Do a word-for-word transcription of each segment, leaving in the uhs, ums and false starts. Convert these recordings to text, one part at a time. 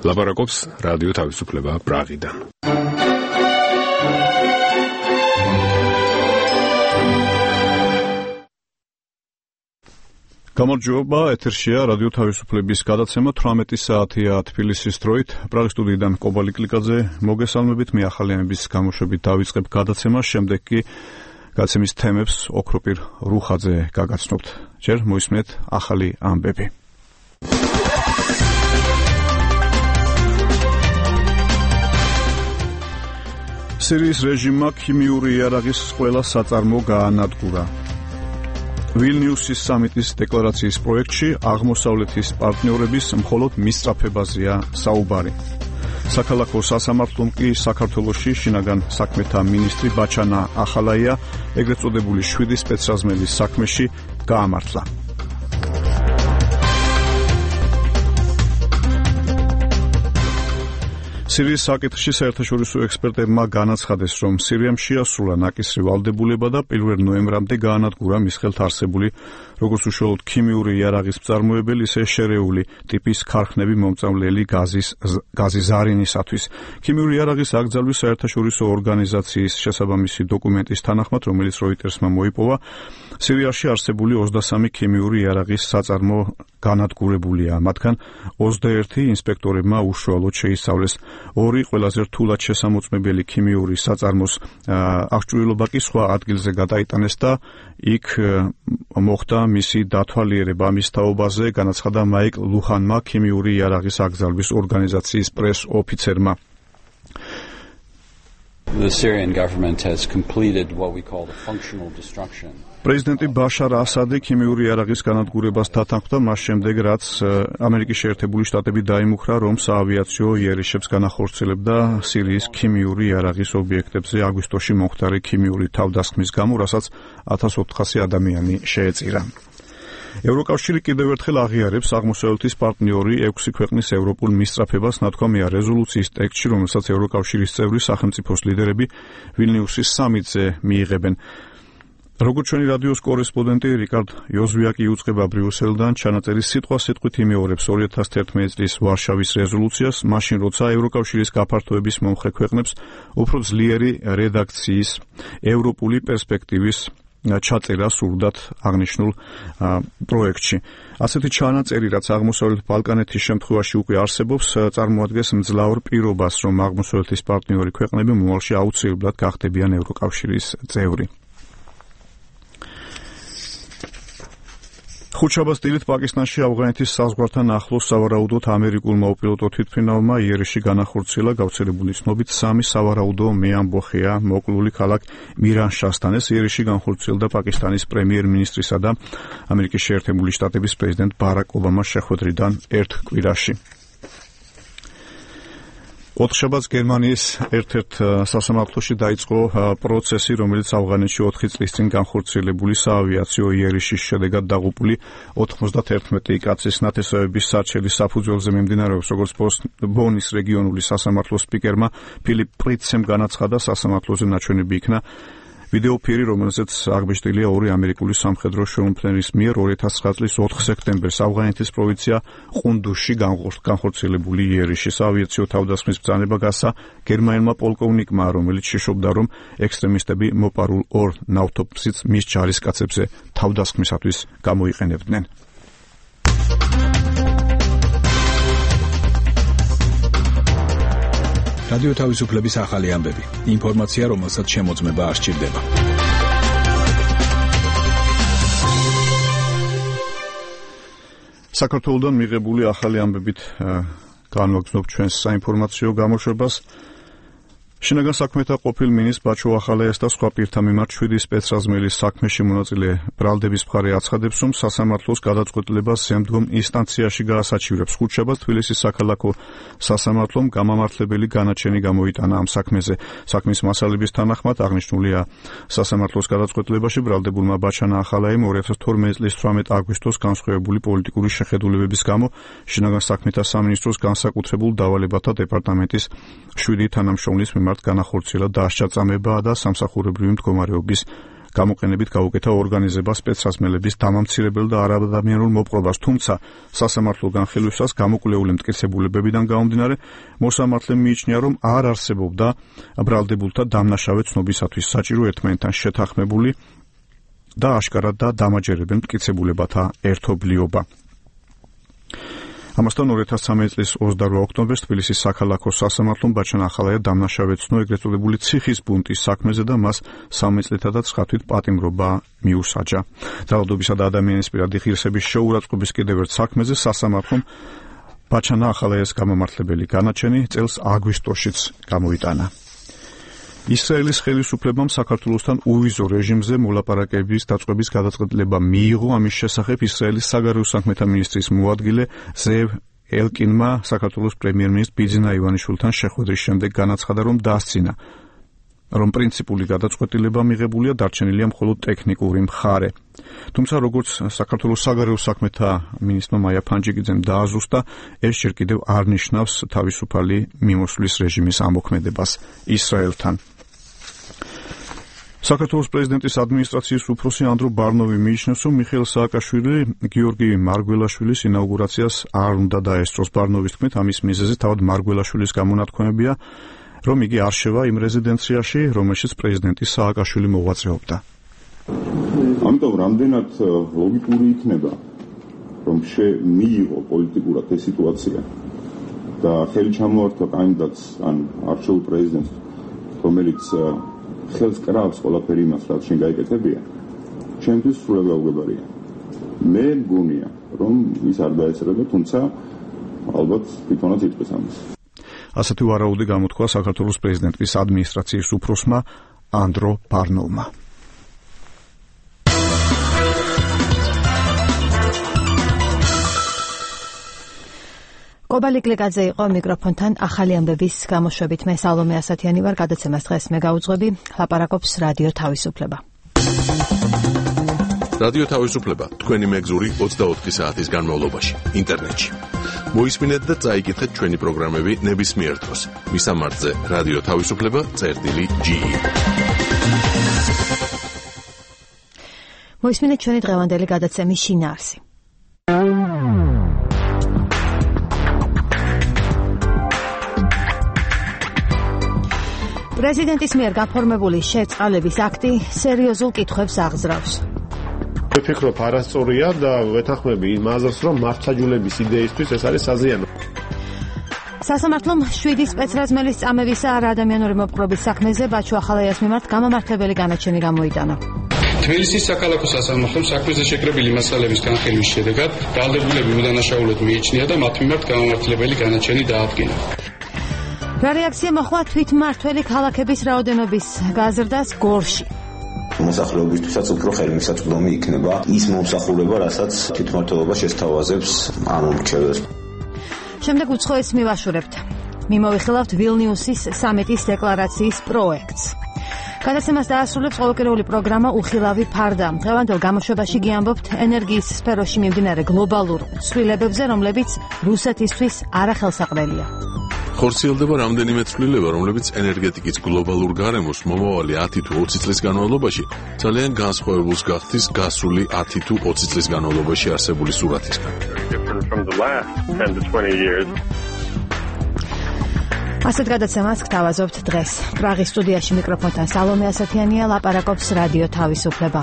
ლაპარაკობს რადიო თავისუფლება პრაღიდან. გამარჯობა, ეთერშია რადიო თავისუფლების გადაცემა თვრამეტი საათია თბილისის დროით. პრაღის სტუდიიდან კობალი კლიკაძე მოგესალმებით. მე ახალიანების გამოშვებით დავიწყებ გადაცემას, შემდეგ კი გადაცემის თემებს ოქროპირ რუხაძე გაგაცნობთ. ჯერ მოისმენთ ახალი ამბები. სირიის რეჟიმმა ქიმიური იარაღის ყველა საწარმო გაანადგურა. ვილნიუსის სამიტის დეკლარაციის პროექტში აღმოსავლეთის პარტნიორების მხოლოდ მისწრაფებაზეა საუბარი. საქალაქო სასამართლომ კი საქართველოში შინაგან საქმეთა მინისტრი ბაჩანა ახალაია ეგრეთ წოდებული შვიდი სპეცრაზმელის საქმეში გაამართლა. სირიის საკითხში საერთაშორისო ექსპერტებმა განაცხადეს, რომ სირიამ შეასრულა ნაკისრი ვალდებულება და პირველ ნოემბრამდე გაანადგურა მის ხელთ არსებული როგორც უშუალოდ ქიმიური იარაღის მწარმოებელი, ისე შერეული ტიპის ქარხნები მომწამლელი გაზის გაზი ზარინისათვის. ქიმიური იარაღის აკრძალვის საერთაშორისო ორგანიზაციის შესაბამისი დოკუმენტის თანახმად, რომელიც როიტერსმა მოიპოვა, სირიაში არსებული ოცდასამი ქიმიური იარაღის საწარმო განადგურებულია. მათგან ოცდაერთი ინსპექტორებმა უშუალოდ შეისწავლეს. ორი ყველაზე რთულად შესამოწმებელი ქიმიური საწარმოს აღჭურვილობა კი სხვა ადგილზე გადაიტანეს და იქ მოხდა მისი დათვალიერება. ამის თაობაზე განაცხადა მაიკლ ლუჰანმა, ქიმიური იარაღის აკრძალვის ორგანიზაციის პრეს ოფიცერმა. The Syrian government has completed what we call the functional destruction. პრეზიდენტი ბაშარ ასადი ქიმიური იარაღის განადგურებას დათანხმდა მას შემდეგ, რაც ამერიკის შეერთებული შტატები დაიმუქრა, რომ საავიაციო იერიშებს განახორციელებდა სირიის ქიმიური იარაღის ობიექტებზე აგვისტოში მომხდარი ქიმიური თავდასხმის გამო, რასაც ათას ოთხასი ადამიანი შეეწირა. ევროკავშირი კიდევ ერთხელ აღიარებს აღმოსავლეთის პარტნიორი ექვსი ქვეყნის ევროპულ მისწრაფებას ნათქვამია რეზოლუციის ტექსტში, რომელსაც ევროკავშირის წევრი სახელმწიფოს ლიდერები ვილნიუსის სამიტზე მიიღებენ. როგორც ჩვენი რადიოს კორესპონდენტი რიკარდ იოზვიაკი იუწყება ბრიუსელიდან, ჩანაწერის სიტყვა-სიტყვით იმეორებს ორი ათას თერთმეტი წლის ვარშავის რეზოლუციას, მაშინ როცა ევროკავშირის გაფართოების მომხრე ქვეყნებს უფრო ძლიერი რედაქციის ევროპული პერსპექტივის ჩაწერა სურდათ აღნიშნულ პროექტში. ასეთი ჩანაწერი, რაც აღმოსავლეთ ბალკანეთის შემთხვევაში უკვე არსებობს, წარმოადგენს მძლავრ პირობას, რომ აღმოსავლეთის პარტნიორი ქვეყნები მომავალში აუცილებლად გახდებიან ევროკავშირის წევრი. ხუთშაბათს დილით პაკისტანში ავღანეთის საზღვართან ახლოს სავარაუდოდ ამერიკულმა უპილოტო თვითმფრინავმა იერიში განახორციელა. გავრცელებული ცნობით სამი სავარაუდო მეამბოხია მოკლული ქალაქ მირანშასთან. ეს იერიში განხორციელდა პაკისტანის პრემიერ-მინისტრისა და ამერიკის შეერთებული შტატების პრეზიდენტ ბარაკ ობამას შეხვედრიდან ერთ კვირაში. ოთხშაბათს გერმანიის ერთ-ერთ სასამართლოში დაიწყო პროცესი, რომელიც ავღანეთში ოთხი წლის წინ განხორციელებული საავიაციო იერიშის შედეგად დაღუპული ოთხმოცდათერთმეტი კაცის ნათესავების სარჩელის საფუძველზე მიმდინარეობს. როგორც ბონის რეგიონული სასამართლოს სპიკერმა ფილიპ პრიცემ განაცხადა, სასამართლოზე ნაჩვენები იქნა ვიდეოფირი, რომელზეც აღბეჭდილია ორი ამერიკული სამხედრო შემომფრენის მიერ ორი ათას ცხრა წლის ოთხ სექტემბერს ავღანეთის პროვინცია ყუნდუსში განხორციელებული იერიში. საავიაციო თავდასხმის ბრძანება გასცა გერმანელმა პოლკოვნიკმა, რომელიც შეშობდა, რომ ექსტრემისტები მოპარულ ორ ნავთობსից მის ჯარისკაცებზე თავდასხმისათვის გამოიყენებდნენ. რადიო თავისუფლების ახალი ამბები. ინფორმაცია, რომელსაც შემოწმება არ სჭირდება. საქართველოდან მიღებული ახალი ამბებით განვაგრძნობ ჩვენს საინფორმაციო გამოშვებას. შინაგან საქმეთა ყოფილ მინისტრ ბაჩო ახალაიას და სხვა პირთა მიმართ შვიდი სპეცრაზმელის საქმეში მონაწილე ბრალდების მხარე აცხადებს, რომ სასამართლოს გადაწყვეტილებას შემდგომ ინსტანციაში გაასაჩივრებს. ხუთშაბათს თბილისის საქალაქო სასამართლომ გამამართლებელი განაჩენი გამოიტანა ამ საქმეზე. საქმის მასალების თანახმად აღნიშნულია სასამართლოს გადაწყვეტილებაში ბრალდებულმა ბაჩანა ახალაიამ ორი ათას თორმეტი წლის თვრამეტი აგვისტოს განსხვავებული პოლიტიკური შეხედულებების გამო შინაგან საქმეთა სამინისტროს განსაკუთრებულ დავალებათა დეპარტამენტის შვიდი თანამშრომლის მიმართ განახორციელა დასჯა-წამება და სამსახურებრივი მდგომარეობის გამოყენებით გაუკეთა ორგანიზება სპეცრაზმელების დამამცირებელ და არაადამიანურ მოპყრობას, თუმცა სასამართლო განხილვისას გამოკვლეული მტკიცებულებებიდან გამომდინარე, მოსამართლემ მიიჩნია, რომ არ არსებობდა ბრალდებულთა დამნაშავე ცნობისათვის საჭირო ერთმანეთთან შეთანხმებული და აშკარად და დამაჯერებელ მტკიცებულებათა ერთობლიობა. ამასთან ორი ათას ცხრამეტი წლის ოცდაორი ოქტომბერს თბილისის საქალაქო სასამართლომ ბაჩან ახალაია დამნაშავე ცნო ეგრეთ წოდებული ციხის ბუნტის საქმეზე და მას სამი წლითა და ცხრა თვით პატიმრობა მიუსაჯა. ძალადობისა და ადამიანის პირადი ღირსების შეურაცხყოფის კიდევ ერთ საქმეზე სასამართლომ ბაჩანა ახალაიას გამომართლებელი განაჩენი წელს აგვისტოშიც გამოიტანა. ისრაელის ხელისუფლებამ საქართველოსთან უვიზო რეჟიმზე მოლაპარაკების დაწყების გადაწყვეტილება მიიღო. ამის შესახებ ისრაელის საგარეო საქმეთა მინისტრის მოადგილე ზევ ელკინმა საქართველოს პრემიერ-მინისტრ ბიძინა ივანიშვილთან შეხვედრის შემდეგ განაცხადა, რომ დასცინა, რომ პრინციპული გადაწყვეტილება მიღებულია, დარჩენილია მხოლოდ ტექნიკური მხარე. თუმცა როგორც საქართველოს საგარეო საქმეთა მინისტრმა მაია ფანჯიკიძემ დააზუსტა, ეს ჯერ კიდევ არ ნიშნავს თავისუფალი მიმოსვლის რეჟიმის ამოქმედებას ისრაელთან. საქართველოს პრეზიდენტის ადმინისტრაციის უფროსი ანდრო ბარნოვი მიიჩნევს, რომ მიხეილ სააკაშვილი გიორგი მარგველაშვილის ინაუგურაციას არ უნდა დაესწროს. ბარნოვის თქმით, ამის მიზეზი თავად მარგველაშვილის გამონათქვამებია, რომ იგი არ შევა იმ რეზიდენციაში, რომელშიც პრეზიდენტი სააკაშვილი მოღვაწეობდა. ამიტომ რამდენად ლოგიკური იქნება, რომ მიიღო პოლიტიკურად ეს სიტუაცია და ხელი ჩამოართვა კანდიდატს ან არჩეულ პრეზიდენტს, რომელიც ხელს კრავს ყველაფერი იმას, რაც შენ გაიკეთებია, ჩემთვის სრულად გაუგებარია. მე მგონია, რომ ის არ დაეცრება, თუმცა ალბათ თვითონაც იწვევს ამას. ასეთი ვარაუდი გამოთქვა საქართველოს პრეზიდენტის ადმინისტრაციის უფროსმა ანდრო ბარნოვმა. კობალი კლიკაძე იყო მიკროფონთან ახალი ამბების გამოშვებით. მე სალომე ასათიანი ვარ, გადაცემას დღეს მე გაუძღვები, ლაპარაკობს რადიო თავისუფლება. რადიო თავისუფლება თქვენი მეგზური ოცდაოთხი საათის განმავლობაში ინტერნეტში. მოისმინეთ და წაიკითხეთ ჩვენი პროგრამები ნებისმიერ დროს. მისამართზე რადიო თავისუფლება წერტილი ჯი. მოისმინეთ ჩვენი დღევანდელი გადაცემის შინაარსი. პრეზიდენტის მიერ გაფორმებული შეწყალების აქტი სერიოზულ კითხვებს აღძრავს. ვფიქრობ, არასწორია და ვეთანხმები იმ აზრს, რომ მართლმსაჯულების იდეისთვის ეს არის საზიანო. სასამართლომ შვიდი სპეცრაზმელის წამებისა არაადამიანური მოპყრობის საქმეზე ბაჩუ ახალაიას მიმართ გამომართლებელი განაჩენი გამოიტანა. თბილისის საქალაქო სასამართლომ საქმეზე შეკრებილი მასალების განხილვის შედეგად ბრალდებულები უდანაშაულოდ მიიჩნია და მათ მიმართ გამომართლებელი განაჩენი დაადგინა. რა რეაქცია მოხდა თვითმმართველი ქალაქების რაოდენობის გაზრდას გორში? მოსახლეობისთვისაც უფრო ხელმისაწვდომი იქნება ის მომსახურება, რასაც თვითმმართველობა შესთავაზებს ამ მრჩეველს. შემდეგ უცხოეთს მივაშურებთ. მიმოვიხილავთ ვილნიუსის სამიტის დეკლარაციის პროექტს. გადაცემას დაასრულებს ყოველკვირეული პროგრამა უხილავი ფარდა. დღევანდელ გამოშვებაში გიამბობთ ენერგიის სფეროში მიმდინარე გლობალურ ცვლილებებზე, რომლებიც რუსეთისთვის არახელსაყრელია. ხორციელდება რამდენიმე ცვლილება, რომლებიც ენერგეტიკის გლობალურ გარემოს მომავალი ათი თუ ოცი წლის განმავლობაში ძალიან განსხვავებულს გახდის გასული ათი თუ ოცი წლის განმავლობაში არსებული სურათისგან. ასეთ გადაცემას გთავაზობთ დღეს. პრაღის სტუდიაში მიკროფონთან სალომე ასათიანია, ლაპარაკობს რადიო თავისუფლება.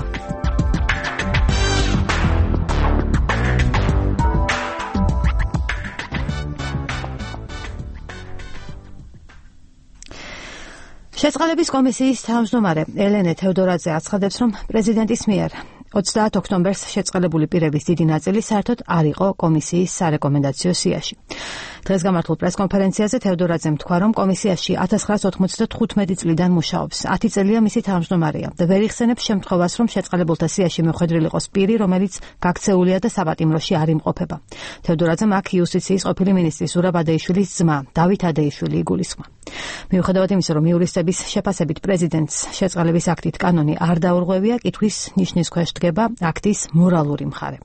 შეწყალების კომისიის თავმჯდომარე ელენე თევდორაძე აცხადებს, რომ პრეზიდენტის მიერ ოცდაათ ოქტომბერს შეწყალებული პირების დიდი ნაწილი საერთოდ არ იყო კომისიის სარეკომენდაციო სიაში. დღეს გამართულ პრესკონფერენციაზე თევდორაძემ თქვა, რომ კომისიაში ათას ცხრაას ოთხმოცდათხუთმეტი წლიდან მუშაობს. ათი წელია მისი თავმჯდომარეა და ვერ იხსენებს შემთხვევას, რომ შეწყალებულთა სიაში მიხვედრილი იყოს პირი, რომელიც გაქცეულია და საპატიმროში არ იმყოფება. თევდორაძემ აქ იუსტიციის ყოფილი მინისტრის ზურაბ ადეიშვილის ძმა დავით ადეიშვილი იგულისხმა. მიუხედავად იმისა, რომ იურისტების შეფასებით პრეზიდენტს შეწყალების აქტით კანონი არ დაურღვევია, კითხვის ნიშნის ქვეშ დგება აქტის მორალური მხარე.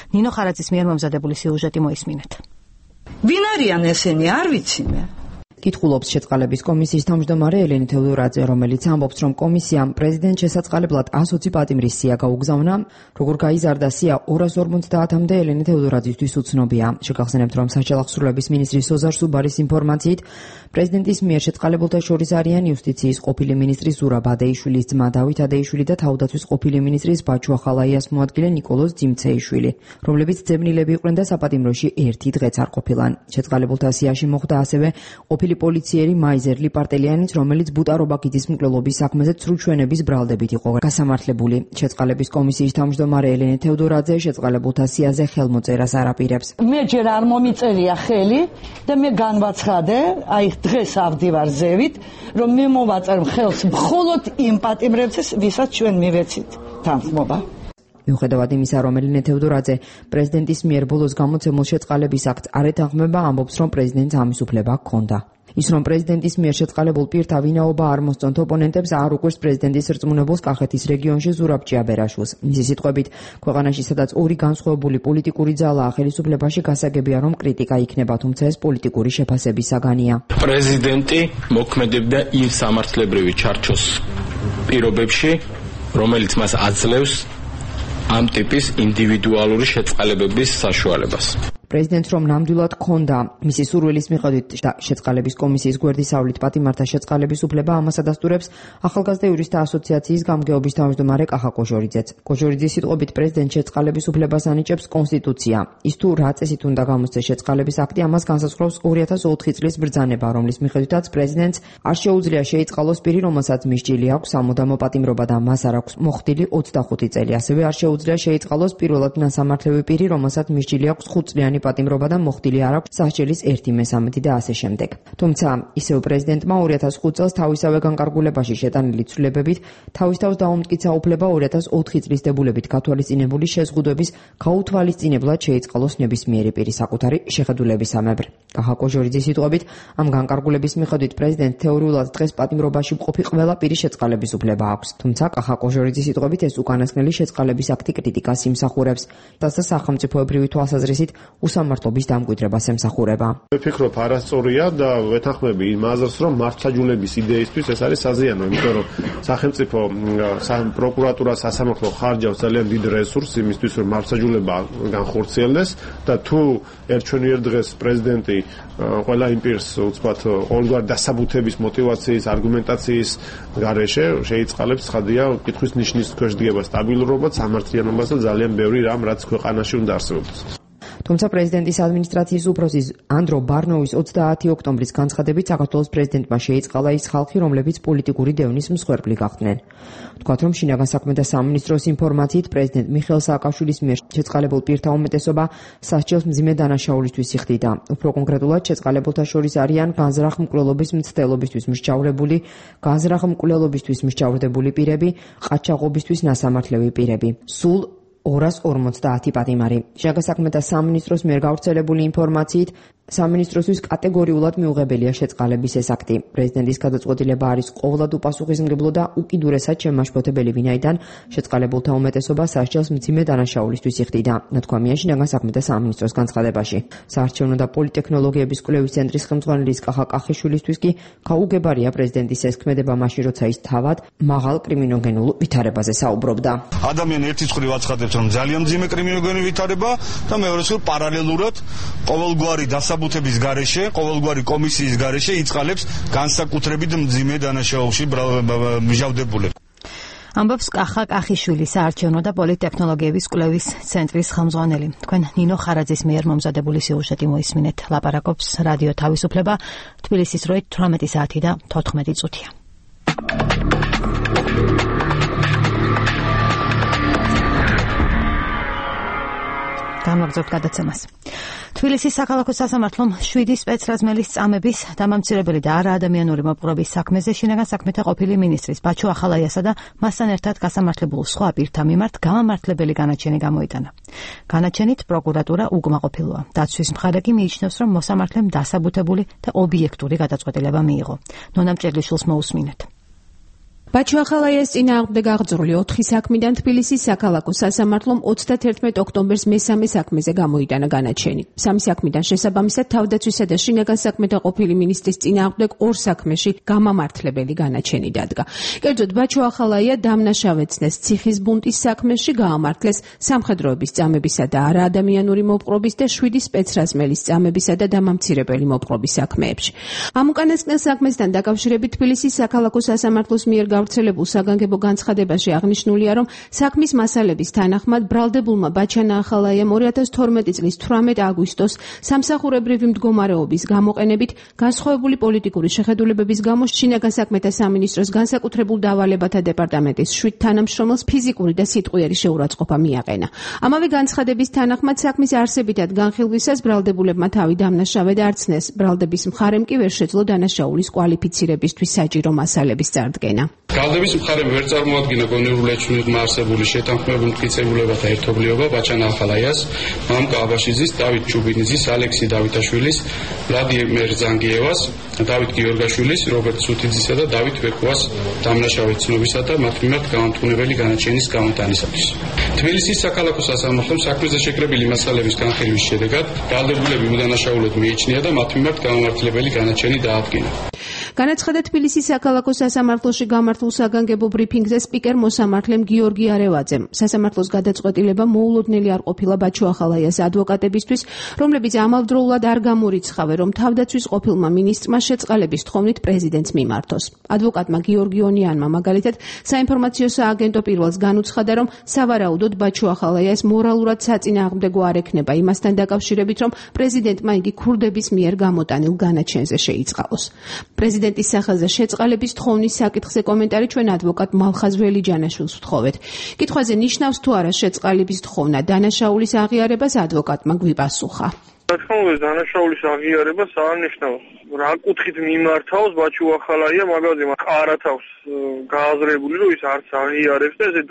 ნინო ხარაძის მიერ მომზადებული სიუჟეტი მოისმინეთ. ვინ არიან ესენი, არ ვიცი მე. კითხულობს შეწყალების კომისიის თავმჯდომარე ელენე თევდორაძე, რომელიც ამბობს, რომ კომისიამ პრეზიდენტ შესაწყალებლად ას ოცი პატიმრის სია გაუგზავნა. Როგორ გაიზარდა სია ორას ორმოცდაათამდე ელენე თევდორაძისთვის უცნობია. შეგახსენებთ, რომ საჯავახსრულების მინისტრი სოზარ სუბარის ინფორმაციით, პრეზიდენტის მიერ შეწყალებულთა შორის არიან იუსტიციის ყოფილი მინისტრი ზურაბ ადეიშვილის ძმა დავით ადეიშვილი და თავდაცვის ყოფილი მინისტრის ბაჩუ ახალაიას მოადგილე ნიკოლოზ ძიმცეიშვილი, რომლებიც ძებნილები იყვნენ და საპატიმროში ერთი დღეც არ ყოფილან. შეწყალებულთა სიაში მოხვდა ასევე ყოფილი პოლიციერი მაიზერლი პარტელიანიც, რომელიც ბუტარობაკიძის მკვლელობის საქმეზე ცრუჩვენების ბრალდებით იყო გასამართლებული. შეწყალების კომისიის თავმჯდომარე ელენე თევდორაძე შეწყალებულთა სიაზე ხელმოწერას არ აპირებს. მე ჯერ არ მომიწერია ხელი და მე განვაცხადე, აი დღეს ავდივარ ზევით, რომ მე მოვაწერ ხელს მხოლოდ იმ პატიმრებს, ვისაც ჩვენ მივეცით თანხმობა. მიუხედავად იმისა, რომ ელენე თევდორაძე პრეზიდენტის მიერ ბოლოს გამოცემულ შეწყალების აქტს არ ეთანხმება, ამბობს, რომ პრეზიდენტს ამის უფლება ჰქონდა. ის რომ პრეზიდენტის მიერ შეწყალებულ პირთა ვინაობა არ მოსწონთ ოპონენტებს, არ უყვირს პრეზიდენტის რწმუნებულს კახეთის რეგიონში ზურაბ ჭიაბერაშვილს. მისი სიტყვებით, ქვეყანაში სადაც ორი განსხვავებული პოლიტიკური ძალაა, ხელისუფლებაში გასაგებია, რომ კრიტიკა იქნება, თუმცა ეს პოლიტიკური შეფასების საგანია. პრეზიდენტი მოქმედებდა იმ სამართლებრივი ჩარჩოს პირობებში, რომელიც მას აძლევს ამ ტიპის ინდივიდუალური შეწყალებების საშუალებას. პრეზიდენტს რომ ნამდვილად ჰქონდა მისი სურვილის მიხედვით შეწყალების კომისიის გვერდისავლით პატიმართა შეწყალების უფლება, ამას ადასტურებს ახალგაზრდა იურისტთა ასოციაციის გამგეობის თავმჯდომარე კახა კოჟორიძეც. კოჟორიძის სიტყვებით პრეზიდენტ შეწყალების უფლებას ანიჭებს კონსტიტუცია. ის თუ რა წესით უნდა გამოსცეს შეწყალების აქტი, ამას განსაზღვრავს ორი ათას ოთხი წლის ბრძანება, რომლის მიხედვითაც პრეზიდენტს არ შეუძლია შეიწყალოს პირი, რომელსაც მისჯილი აქვს სამუდამო პატიმრობა და მას არ აქვს მოხდილი ოცდახუთი წელი. ასევე არ შეუძლია შეიწყალოს პირველად ნასამართლებელი პირი, რომელსაც მისჯილი აქვს ხუთწლიანი პატიმრობა და მოხდილი არ აქვს სასჯელის ერთი მესამედი და ასე შემდეგ. თუმცა ისევ პრეზიდენტმა ორი ათას ხუთ წელს თავისავე განკარგულებაში შეტანილი ცვლილებებით თავის თავს დაუმტკიცა უფლება ორი ათას ოთხი წლის დებულებით გათვალისწინებული შეზღუდვების გაუთვალისწინებლად შეიწყალოს ნებისმიერი პირი საკუთარი შეხედულებისამებრ. კახა კოჟორიძის სიტყვებით, ამ განკარგულების მიხედვით პრეზიდენტ თეორიულად დღეს პატიმრობაში მყოფი ყველა პირის შეწყალების უფლება აქვს. თუმცა კახა კოჟორიძის სიტყვებით ეს უკანასკნელი შეწყალების აქტი კრიტიკას იმსახურებს და სახელმწიფოებრივი თვალსაზრისით უსამართლობის დამკვიდრებას ემსახურება. მე ვფიქრობ არასწორია და ვეთანხმები იმ აზრს, რომ მართლმსაჯულების იდეისთვის ეს არის საზიანო, იმიტომ რომ სახელმწიფო პროკურატურა სასამართლო ხარჯავს ძალიან დიდ რესურსს იმისთვის, რომ მართლმსაჯულება განხორციელდეს და თუ ერჩვენიერ დღეს პრეზიდენტი ყველა იმ პირს უცბად ყოველგვარი დასაბუთების, мотиваციის, არგუმენტაციის გარეშე შეიწყალებს, ცხადია, კითხვის ნიშნის ქვეშ დგება სტაბილურობა, სამართლიანობას და ძალიან ბევრი რამ, რაც ქვეყანაში უნდა არსებობდეს. თუმცა პრეზიდენტის ადმინისტრაციის უფროსი ანდრო ბარნოვის ოცდაათი ოქტომბრის განცხადებით საქართველოს პრეზიდენტმა შეიწყალა ის ხალხი, რომლებიც პოლიტიკური დევნის მსხვერპლი გახდნენ. თქვათ, რომ შინაგან საქმეთა სამინისტროს ინფორმაციით პრეზიდენტ მიხეილ სააკაშვილის მიერ შეწყალებულ პირთა უმეტესობა სასჯელს მძიმე დანაშაულისთვის იხდიდა. უფრო კონკრეტულად შეწყალებულთა შორის არიან განზრახ მკვლელობის მცდელობისთვის მსჯავრებული, განზრახ მკვლელობისთვის მსჯავრდებული პირები, ყაჩაღობისთვის ნასამართლები პირები. სულ ორას ორმოცდაათი პატიმარი. შინაგან საქმეთა სამინისტროს მიერ გავრცელებული ინფორმაციით სამინისტროსთვის კატეგორიულად მიუღებელია შეწყალების ეს აქტი. პრეზიდენტის გადაწყვეტილება არის ყოვლად უპასუხისმგებლო და უკიდურესად შემაშფოთებელი, ვინაიდან შეწყალებულთა უმეტესობა სასჯელს მძიმე დანაშაულისთვის იხდიდა. ნათქვამია შინაგან საქმეთა სამინისტროს განცხადებაში. საარჩევნო და პოლიტექნოლოგიების კვლევის ცენტრის ხელმძღვანელის კახა კახიშვილისთვის კი გაუგებარია პრეზიდენტის ეს ქმედება მაშინ, როცა ის თავად მაღალ კრიმინოგენულ ვითარებაზე საუბრობდა. ადამიანი ერთის მხრივ აცხადებს, რომ ძალიან მძიმე კრიმინოგენური ვითარება და მეორეს მხრივ პარალელურად ყოველგვარი დასაბუთების გარეშე, ყოველგვარი კომისიის გარეშე იწყალებს განსაკუთრებით მძიმე დანაშაულში მჟავდებულებს. ამბობს კახა კახიშვილი, საარჩევნო და პოლიტექნოლოგიების კვლევის ცენტრის ხელმძღვანელი. თქვენ ნინო ხარაძის მიერ მომზადებული სიუჟეტი მოისმინეთ. ლაპარაკობს რადიო თავისუფლება, თბილისის დროით თვრამეტი საათი და თოთხმეტი წუთია. გამაგზავნებთ გადაცემას. თბილისის საქალაქო სასამართლომ შვიდი სპეცრაზმელის წამების დამამცირებელი და არაადამიანური მოპყრობის საქმეზე შინაგან საქმეთა ყოფილი მინისტრის ბაჩუ ახალაიასა და მასთან ერთად გასამართლებულ სხვა პირთა მიმართ გამამართლებელი განაჩენი გამოიტანა. განაჩენით პროკურატურა უკმაყოფილოა. დაცვის მხარე კი მიიჩნევს, რომ მოსამართლემ დასაბუთებული და ობიექტური გადაწყვეტილება მიიღო. ნონა მჭედლიშვილს მოусმინეთ. ბაჩო ახალაიას წინააღმდეგ აღძრული ოთხი საქმიდან თბილისის საქალაქო სასამართლომ ოცდათერთმეტ ოქტომბერს მესამე საქმეზე გამოიტანა განაჩენი. სამი საქმიდან შესაბამისად თავდაცვისა და შინაგან საქმეთა ყოფილი მინისტრის წინააღმდეგ ორ საქმეში გამამართლებელი განაჩენი დადგა. კერძოდ ბაჩო ახალაია დამნაშავეცნეს ციხის ბუნტის საქმეში, გაამართლეს სამხედროების წამებისა და არაადამიანური მოპყრობის და შვიდი სპეცრაზმელის წამებისა და დამამცირებელი მოპყრობის საქმეებში. ამ უკანასკნელ საქმესთან დაკავშირებით თბილისის საქალაქო სასამართლოს მიერ გავრცელებულ საგანგებო განცხადებაში აღნიშნულია, რომ საქმის მასალების თანახმად ბრალდებულმა ბაჩანა ახალაიამ ორი ათას თორმეტი წლის თვრამეტ აგვისტოს სამსახურებრივი მდგომარეობის გამოყენებით განსხვავებული პოლიტიკური შეხედულებების გამო შინაგან საქმეთა სამინისტროს განსაკუთრებულ დავალებათა დეპარტამენტის შვიდ თანამშრომელს ფიზიკური და სიტყვიერი შეურაცხყოფა მიაყენა. ამავე განცხადების თანახმად საქმის არსებითად განხილვისას ბრალდებულებმა თავი დამნაშავედ არცნეს, ბრალდების მხარემ კი ვერ შეძლო დანაშაულის კვალიფიცირებისთვის საჭირო მასალების წარდგენა. ბრალდების მხარემ ვერ წარმოადგინა გონივრული ეჭვმიღმა არსებული შეთანხმებული მტკიცებულებათა ერთობლიობა ბაჩანა ახალაიას, მამკა აბაშიძის, დავით ჩუბინიძის, ალექსი დავითაშვილის, ვლადიმერ ზანგიევას, დავით გიორგაშვილის, რობერტ სუთიძისა და დავით ვექუას დამნაშავედ ცნობისა და მათ მიმართ გამამტყუნებელი განაჩენის გამოტანისათვის. თბილისის საქალაქო სასამართლომ საქმეზე შეკრებილი მასალების განხილვის შედეგად ბრალდებულები უდანაშაულოდ მიიჩნია და მათ მიმართ გამამართლებელი განაჩენი დაადგინა. განაცხადა თბილისის საქალაქო სასამართლოში გამართულ საგანგებო ბრიფინგზე სპიკერ მოსამართლემ გიორგი არევაძემ. სასამართლოს გადაწყვეტილება მოულოდნელი არ ყოფილა ბაჩო ახალაიას ადვოკატებისთვის, რომლებიც ამავდროულად არ გამორიცხავენ, რომ თავდაცვის ყოფილმა მინისტრმა შეწყალების თხოვნით პრეზიდენტს მიმართოს. ადვოკატმა გიორგი ონიანმა მაგალითად საინფორმაციო სააგენტო პირველს განუცხადა, რომ სავარაუდოდ ბაჩო ახალაიას მორალურად საწინააღმდეგო არ ექნება იმასთან დაკავშირებით, რომ პრეზიდენტმა იგი ქურდების მიერ გამოტანილ განაჩენზე შეიწყალოს. პრეზიდენტის სახელზე შეწყალების თხოვნის საკითხზე კომენტარი ჩვენ ადვოკატ მალხაზ ველიჯანაშვილს ვთხოვეთ. კითხვაზე ნიშნავს თუ არა შეწყალების თხოვნა დანაშაულის აღიარებას ადვოკატმა გვიპასუხა. რა თქმა უნდა, დანაშაულის აღიარებას არ ნიშნავს. რა კუთხით მიმართავს ბაჩო ახალაია მაგაზე ყარათავს გააზრებული, რომ ის არც აღიარებს და ესე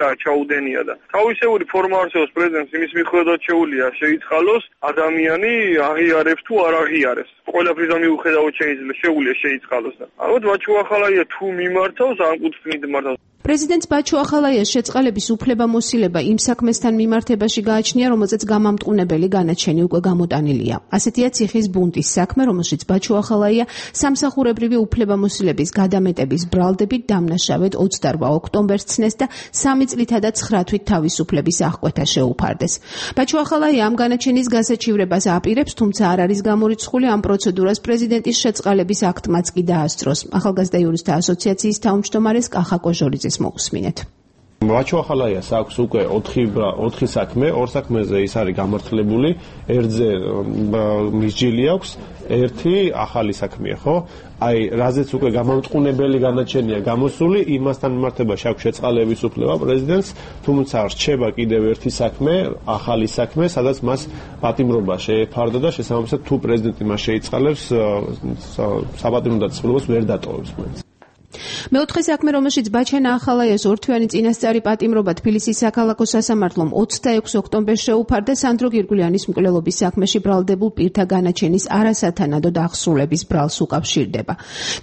დაჩაუდენია და თავისეული ფორმა არსებობს პრეზიდენტს იმის მიხედვით შეუძლია შეიწყალოს ადამიანი აღიარებს თუ არ აღიარებს. ყველაფრის მიუხედავად შეიძლება შეუძლია შეიწყალოს და ალბათ ბაჩო ახალაია თუ მიმართავს ამ კუთხით მიმართავს. პრეზიდენტს ბაჩო ახალაიას შეწყალების უფლებამოსილება იმ საქმესთან მიმართებაში გააჩნია, რომელზეც გამამტყუნებელი განაჩენი უკვე გამოტანილია. ასეთია ციხის ბუნტის საქმე, რომელშიც ბაჩო ახალაია სამსახურებრივი უფლებამოსილების გადამეტების ბრალდებით დამნაშავედ ოცდარვა ოქტომბერს ცნეს და სამი წლითა და ცხრა თვით თავისუფლების აღკვეთა შეუფარდეს. ბაჩო ახალაია ამ განაჩენის გასაჩივრებას აპირებს, თუმცა არ არის გამორიცხული ამ პროცედურას პრეზიდენტის შეწყალების აქტმაც კი დაასწროს. ახალგაზრდა იურისტთა ასოციაციის თავმჯდომარეს კახა კოჟორიძეს მოусმინეთ. ბაჩო ახალაიას აქვს უკვე ოთხი საქმე, ორ საქმეზე ის არის გამართლებული, ერთზე მისჯილი აქვს, ერთი ახალი საქმეა, ხო? აი, რაზეც უკვე გამამტყუნებელი განაჩენია გამოსული, იმასთან მიმართებაში აქვს შეწყალების უფლება პრეზიდენტს, თუმცა რჩება კიდევ ერთი საქმე, ახალი საქმე, სადაც მას პატიმრობა შეეფარდა და შესაბამისად თუ პრეზიდენტი მას შეიწყალებს, საპატიმრო დაწესებულებას ვერ დატოვებს მაინც. მეოთხე საქმე, რომელშიც ბაჩანა ახალაიას ორთვიანი წინასწარი პატიმრობა თბილისის საქალაქო სასამართლომ ოცდაექვსი ოქტომბერს შეუფარდა, სანდრო გირგულიანის მკვლელობის საქმეში ბრალდებულ პირთა განაჩენის არასათანადო აღსრულების ბრალს უკავშირდება.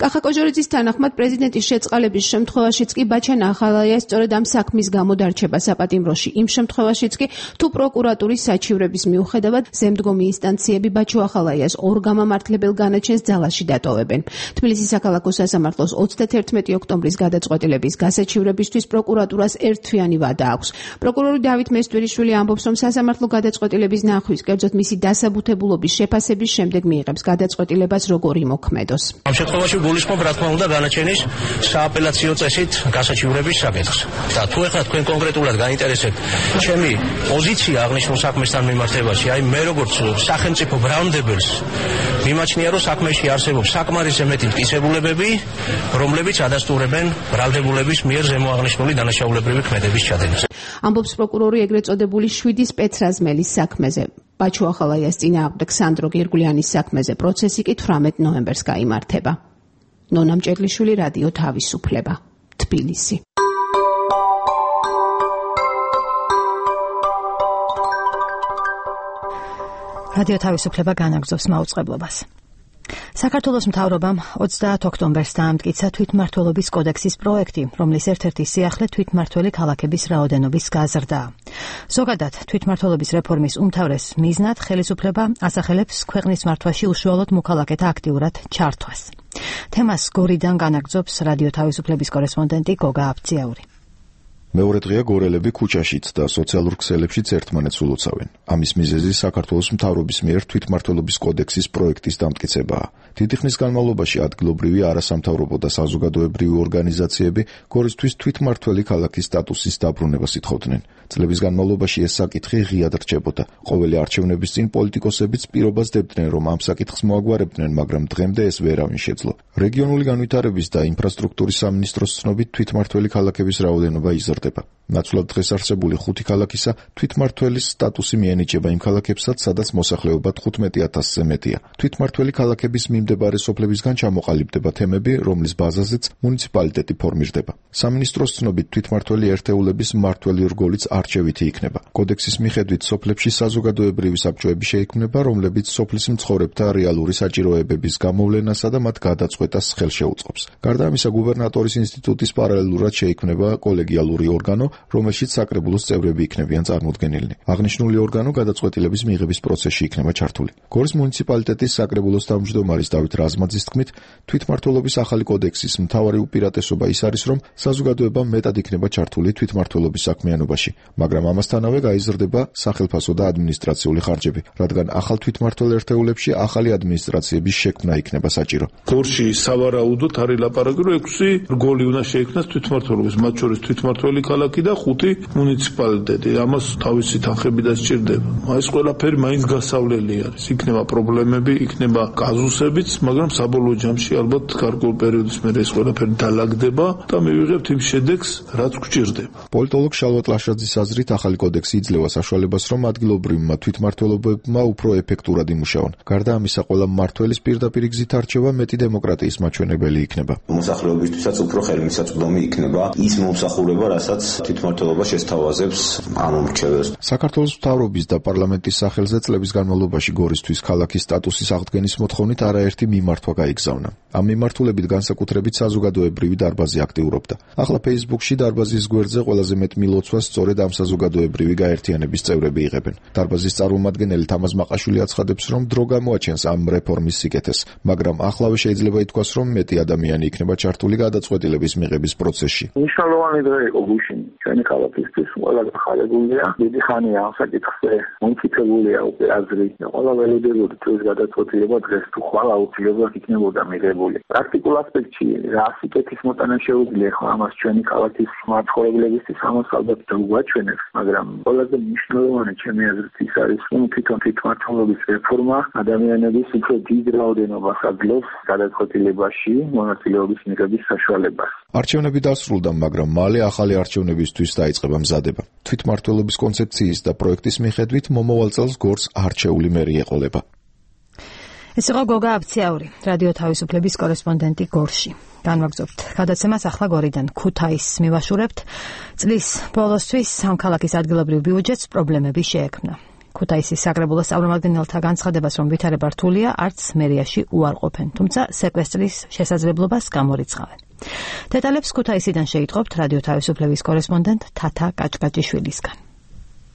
კახა კოჟორიძის თანახმად პრეზიდენტის შეწყალების შემთხვევაშიც კი ბაჩანა ახალაიას სწორედ ამ საქმის გამო დარჩება საპატიმროში, იმ შემთხვევაშიც კი თუ პროკურატურის საჩივრების მიუხედავად ზემდგომი ინსტანციები ბაჩო ახალაიას ორ გამამართლებელ განაჩენს ძალაში დატოვებენ. თბილისის საქალაქო სასამართლოს ოცდათერთმეტი ოქტომბრის გადაწყვეტილების გასაჩივრებისთვის პროკურატურას ერთთვიანი ვადა აქვს. პროკურორი დავით მესტვერიშვილი ამბობს, რომ სასამართლო გადაწყვეტილების ნახვის, კერძოდ მისი დასაბუთებულობის შეფასების შემდეგ მიიღებს გადაწყვეტილებას როგორ იმოქმედოს. ამ შემთხვევაში გულისხმობ, რა თქმა უნდა, განაჩენის სააპელაციო წესით გასაჩივრების საკითხს. და თუ ეხლა თქვენ კონკრეტულად გაინტერესებთ ჩემი პოზიცია აღნიშნულ საქმესთან მიმართებაში, აი მე როგორც სახელმწიფო ბრალმდებელს მიმაჩნია, რომ საქმეში არსებობს საკმარისი მეტი მტკიცებულებები, რომლებიც ადასტურებენ ბრალდებულების მიერ ზემოაღნიშნული დანაშაულებრივი ქმედების ჩადენას. ამბობს პროკურორი ეგრეთ წოდებული შვიდი სპეცრაზმელის საქმეზე. ბაჩო ახალაიას წინააღმდეგ სანდრო გირგულიანის საქმეზე პროცესი კი თვრამეტ ნოემბერს გაიმართება. ნონა მჭედლიშვილი, რადიო თავისუფლება, თბილისი. რადიო თავისუფლება განაგრძობს მაუწყებლობას. საქართველოს მთავრობამ ოცდაათ ოქტომბერს დაამტკიცა თვითმმართველობის კოდექსის პროექტი, რომლის ერთ-ერთი სიახლე თვითმმართველი ქალაქების რაოდენობის გაზრდაა. ზოგადად, თვითმმართველობის რეფორმის უმთავრეს მიზნად ხელისუფლება ასახელებს ქვეყნის მართვაში უშუალოდ მოქალაქეთა აქტიურად ჩართვას. თემას გორიდან განაგრძობს რადიო თავისუფლების კორესპონდენტი გოგა აბციაური. მეორე დღეა გორელები ქუჩაშიც და სოციალურ ქსელებშიც ერთმანეთს ულოცავენ. ამის მიზეზი საქართველოს მთავრობის მიერ თვითმმართველობის კოდექსის პროექტის დამტკიცებაა. დიდი ხნის განმავლობაში ადგილობრივი არასამთავრობო და საზოგადოებრივი ორგანიზაციები გორისთვის თვითმმართველი ქალაქის სტატუსის დაბრუნებას ითხოვდნენ. წლების განმავლობაში ეს საკითხი ღიად რჩებოდა. ყოველი არჩევნების წინ პოლიტიკოსებიც პირობას დებდნენ, რომ ამ საკითხს მოაგვარებდნენ, მაგრამ დღემდე ეს ვერავინ შეძლო. რეგიონული განვითარების და ინფრასტრუქტურის სამინისტროს ცნობით თვითმმართველი ქალაქების რაოდენობა იზრდება. ნაცვლად დღეს არსებული ხუთი ქალაქისა თვითმმართველის სტატუსი მიენიჭება იმ ქალაქებსაც, სადაც მოსახლეობა თხუთმეტი ათასზე მეტია. თვითმმართველი ქალაქების მიმდებარე სოფლებისგან ჩამოყალიბდება თემები, რომლის ბაზაზეც მუნიციპალიტეტი ფორმირდება. სამინისტროს ცნობით თვითმმართველი ერთეულების მმართველი რგოლიც არჩევითი იქნება. კოდექსის მიხედვით სოფლებში საზოგადოებრივი საბჭოები შეიქმნება, რომლებიც სოფლის მცხოვრებთა რეალური საჭიროებების გამოვლენასა და მათ გადაწყვეტას ხელშეუწყობს. გარდა ამისა, გუბერნატორის ინსტიტუტის პარალელურად შეიქმნება კოლეგიალური ორგანო, რომელშიც საკრებულოს წევრები იქნებიან წარმოდგენილნი. აღნიშნული ორგანო გადაწყვეტილების მიღების პროცესში იქნება ჩართული. გორის მუნიციპალიტეტის საკრებულოს თავმჯდომარის დავით რაზმაძის თქმით, თვითმმართველობის ახალი კოდექსის მთავარი უპირატესობა ის არის, რომ საზოგადოება მეტად იქნება ჩართული თვითმმართველობის საქმიანობაში, მაგრამ ამასთანავე გაიზრდება სახელფასო და ადმინისტრაციული ხარჯები, რადგან ახალ თვითმმართველ ერთეულებში ახალი ადმინისტრაციების შექმნა იქნება საჭირო. გორში სავარაუდოდ არის ლაპარაკი, რომ ექვსი რგოლი უნდა შეიქმნას თვითმმართველობის, მათ შორის თვითმმართველი ქალაქი და ხუთი მუნიციპალიტეტი. ამას თავისი თანხები და სჭირდება. ეს ყველაფერი მაინც გასავლელი არის. იქნება პრობლემები, იქნება კაზუსებიც, მაგრამ საბოლოო ჯამში ალბათ გარკვეულ პერიოდის მერე ეს ყველაფერი დალაგდება და მივიღებთ იმ შედეგს, რაც გვჭირდება. პოლიტოლოგ შალვა ტლაშაძის აზრით, ახალი კოდექსი იძლევა საშუალებას, რომ ადგილობრივმა თვითმმართველობებმა უფრო ეფექტურად იმუშაონ. გარდა ამისა, ყველა მმართველის პირდაპირ გზით არჩევა მეტი დემოკრატიის მაჩვენებელი იქნება. მოსახლეობისთვისაც უფრო ხელმისაწვდომი იქნება ის მომსახურება, რასაც თვითმმართველობა შესთავაზებს ამ მრჩეველს. საქართველოს მთავრობის და პარლამენტის სახელზე წლების განმავლობაში გორისთვის ქალაქის სტატუსის აღდგენის მოთხოვნით არაერთი მიმართვა გაიგზავნა. ამ მიმართულებით განსაკუთრებით საზოგადოებრივი დარბაზი აქტიურობდა. ახლა Facebook-ში დარბაზის გვერდზე ყველაზე მეტ მილოცვას სწორედ ამ საზოგადოებრივი გაერთიანების წევრები იღებენ. დარბაზის წარმომადგენელი თამაზ მაყაშვილი აცხადებს, რომ დრო გამოაჩენს ამ რეფორმის სიკეთეს, მაგრამ ახლავე შეიძლება ითქვას, რომ მეტი ადამიანი იქნება ჩართული გადაწყვეტილების მიღების პროცესში. მნიშვნელოვანი დღე იყო გუშინ ჩვენი ქალაქისთვის, ყველა გახარებულია. დიდი ხანია ამ საკითხზე მომწიფებულია უკვე აზრი და ყველა ველოდებოდა ეს გადაწყვეტილება დღეს თუ ხვალ აუცილებლად იქნებოდა მიღებული. პრაქტიკულ ასპექტში რა სიკეთის მოტანა შეუძლია ხო ამას ჩვენი ქალაქის მაცხოვრებლებისთვის ამას ალბათ დაუგვაჩვენებს, მაგრამ ყველაზე მნიშვნელოვანი ჩემი აზრით ის არის, რომ თვითონ თვითმმართველობის რეფორმა ადამიანების უფრო დიდ რაოდენობას აძლევს გადაწყვეტილებაში მონაწილეობის მიღების საშუალებას. არჩევნები დასრულდა, მაგრამ მალე ახალი არჩევნებისთვის დაიწყება მზადება. თვითმმართველობის კონცეფციის და პროექტის მიხედვით მომავალ წელს გორს არჩეული მერი ეყოლება. ეს იყო გოგა აბციაური, რადიო თავისუფლების კორესპონდენტი გორში. განვაგრძობთ გადაცემას ახლა გორიდან ქუთაისს მივაშურებთ. წლის ბოლოსთვის ამ ქალაქის ადგილობრივ ბიუჯეტს პრობლემები შეექმნა. ქუთაისის საკრებულოს წარმომადგენელთა განცხადებას, რომ ვითარება რთულია, არც მერიაში უარყოფენ, თუმცა სეკვესტრის შესაძლებლობას გამორიცხავენ. დეტალებს ქუთაისიდან შეიტყობთ რადიო თავისუფლების კორესპონდენტ თათა კაჭკაჭიშვილისგან.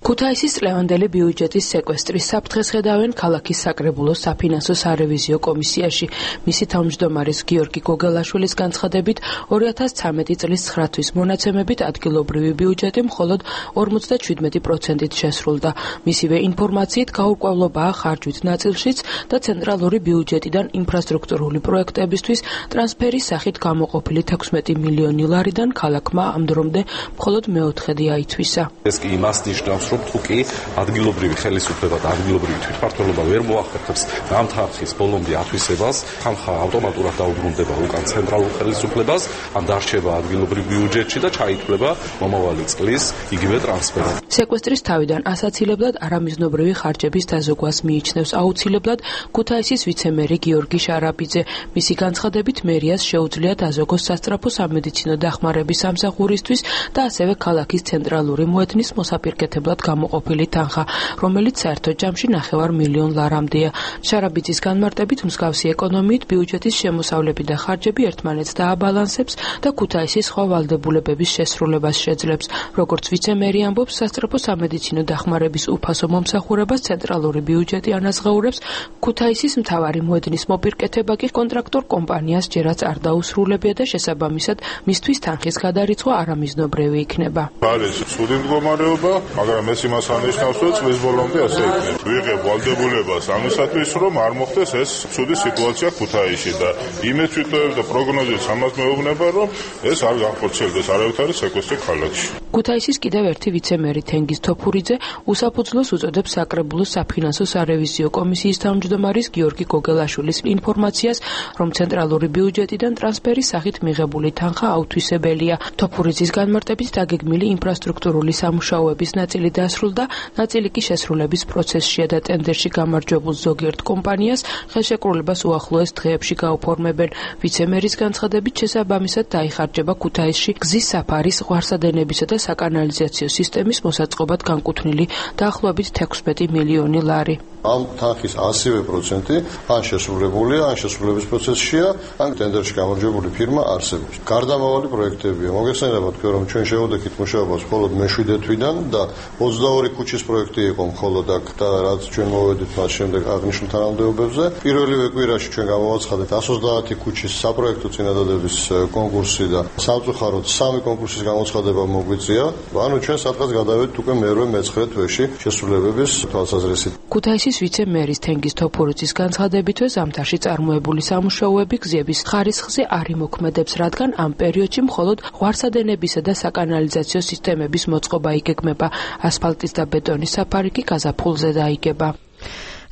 ქუთაისის წლევანდელი ბიუჯეტის სეკვესტრის საფრთხეს ხედავენ ქალაქის საკრებულოს საფინანსო სარევიზიო კომისიაში. მისი თავმჯდომარის გიორგი გოგელაშვილის განცხადებით, ორი ათას ცხრამეტი წლის ცხრა თვის მონაცემებით ადგილობრივი ბიუჯეტი მხოლოდ ორმოცდაშვიდმეტი პროცენტით შესრულდა. მისივე ინფორმაციით გაურკვევლობაა ხარჯვით ნაწილშიც და ცენტრალური ბიუჯეტიდან ინფრასტრუქტურული პროექტებისთვის ტრანსფერის სახით გამოყოფილი თექვსმეტი მილიონი ლარიდან ქალაქმა ამ დრომდე მხოლოდ მეოთხედი აითვისა. ეს კი იმას ნიშნავს, რომ თუკი ადგილობრივი ხელისუფლება და ადგილობრივი თვითმმართველობა ვერ მოახერხებს ამ თანხის ბოლომდე ათვისებას, თანხა ავტომატურად დაუბრუნდება უკან ცენტრალურ ხელისუფლებას, ან დარჩება ადგილობრივ ბიუჯეტში და ჩაითვლება მომავალი წლის იგივე ტრანსფერად. სეკვესტრის თავიდან ასაცილებლად არამიზნობრივი ხარჯების დაზოგვას მიიჩნევს აუცილებლად ქუთაისის ვიცემერი გიორგი შარაბიძე. მისი განცხადებით, მერიას შეუძლია დაზოგოს სასწრაფო სამედიცინო დახმარების სამსახურისთვის და ასევე ქალაქის ცენტრალური მოედნის მოსაპირკეთებლად გამოყოფილი თანხა, რომელიც საერთო ჯამში ნახევარ მილიონ ლარამდეა. შარაბიძის განმარტებით მსგავსი ეკონომიით ბიუჯეტის შემოსავლები და ხარჯები ერთმანეთს დააბალანსებს და ქუთაისის სხვა ვალდებულებების შესრულებას შეძლებს. როგორც ვიცემერი ამბობს, სასწრაფო სამედიცინო დახმარების უფასო მომსახურებას ცენტრალური ბიუჯეტი ანაზღაურებს, ქუთაისის მთავარი მოედნის მოპირკეთება კი კონტრაქტორ კომპანიას ჯერაც არ დაუსრულებია და შესაბამისად მისთვის თანხის გადარიცხვა არამიზნობრივი იქნება. არის ცუდი მდგომარეობა, მაგრამ ეს იმას ანიშნავს, რომ წლის ბოლომდე ასე იქნება. ვიღებ ვალდებულებას ამისათვის, რომ არ მოხდეს ეს ცუდი სიტუაცია ქუთაისში და იმეც ვიტოვებ და პროგნოზებს ამას მეუბნება, რომ ეს არ განხორციელდეს არავითარი სეკვესტრი ქალაქში. ქუთაისის კიდევ ერთი ვიცემერი თენგიზ თოფურიძე უსაფუძვლოს უწოდებს საკრებულოს საფინანსო სარევიზიო კომისიის თავმჯდომარის გიორგი გოგელაშვილის ინფორმაციას, რომ ცენტრალური ბიუჯეტიდან ტრანსფერის სახით მიღებული თანხა აუთვისებელია. თოფურიძის განმარტებით დაგეგმილი ინფრასტრუქტურული სამუშაოების ნაწილი დასრულდა, ნაწილი კი შესრულების პროცესშია და ტენდერში გამარჯვებულ ზოგიერთ კომპანიას ხელშეკრულებას უახლოეს დღეებში გაუფორმებენ. ვიცემერის განცხადებით შესაბამისად დაიხარჯება ქუთაისში გზის საფარის, ღვარსადენებისა და საკანალიზაციო სისტემის მოსაწყობად განკუთვნილი დაახლოებით თექვსმეტი მილიონი ლარი. ამ თანხის ასივე პროცენტი ან შესრულებულია, ან შესრულების პროცესშია, ან ტენდერში გამარჯვებული ფირმა არსებობს. გარდამავალი პროექტებია. მოგეხსენება თქვენ, რომ ჩვენ შევუდექით მუშაობას მხოლოდ მეშვიდე თვიდან და ოცდაორი ქუჩის პროექტი იყო მხოლოდ აქ და რაც ჩვენ მოვედით მას შემდეგ აღნიშნულ თანამდებობებზე. პირველივე კვირაში ჩვენ გამოვაცხადეთ εκατს ოცდაათი ქუჩის საპროექტო წინადადების კონკურსი და სამწუხაროდ სამი კონკურსის გამოცხადება მოგვიწია. ანუ ჩვენ სადღაც გადავედით უკვე მერვე მეცხრე თვეში შესრულებების თვალსაზრისით. ქუთაისის ვიცემერის თენგიზ თოფურიძის განცხადებითვე ზამთარში წარმოებული სამუშაოები გზების ხარისხზე არ იმოქმედებს, რადგან ამ პერიოდში მხოლოდ ღვარსადენებისა და საკანალიზაციო სისტემების მოწყობა იგეგმება. ასფალტის და ბეტონის საფარი კი გაზაფხულზე დაიგება.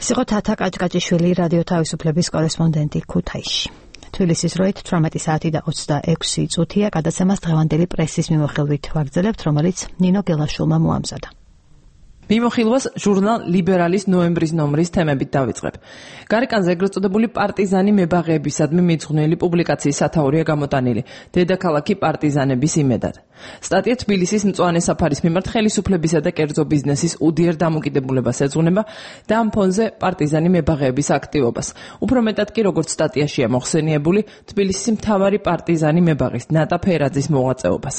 სიყო თათა კაჭკაჭიშვილი რადიო თავისუფლების კორესპონდენტი ქუთაისში. თბილისის დროით თვრამეტი საათი და ოცდაექვსი წუთია. გადაცემას დღევანდელი პრესის მიმოხილვით ვაგრძელებთ, რომელიც ნინო გელაშვილმა მოამზადა. მიმოხილვას ჟურნალ ლიბერალის ნოემბრის ნომრის თემებით დავიწყებ. გარეკანზე ეგრეთ წოდებული პარტიზანი მებაღეებისადმი მიძღვნილი პუბლიკაციის სათაურია გამოტანილი დედაქალაქი პარტიზანების იმედად. სტატია თბილისის მწვანე საფარის მიმართ ხელისუფლებისა და კერძო ბიზნესის უდიერ დამოკიდებულებას ეძღვნება და ამ ფონზე პარტიზანი მებაღეების აქტივობას. უფრო მეტად კი როგორც სტატიაშია მოხსენიებული თბილისის მთავარი პარტიზანი მებაღის ნატა ფერაძის მოღვაწეობას.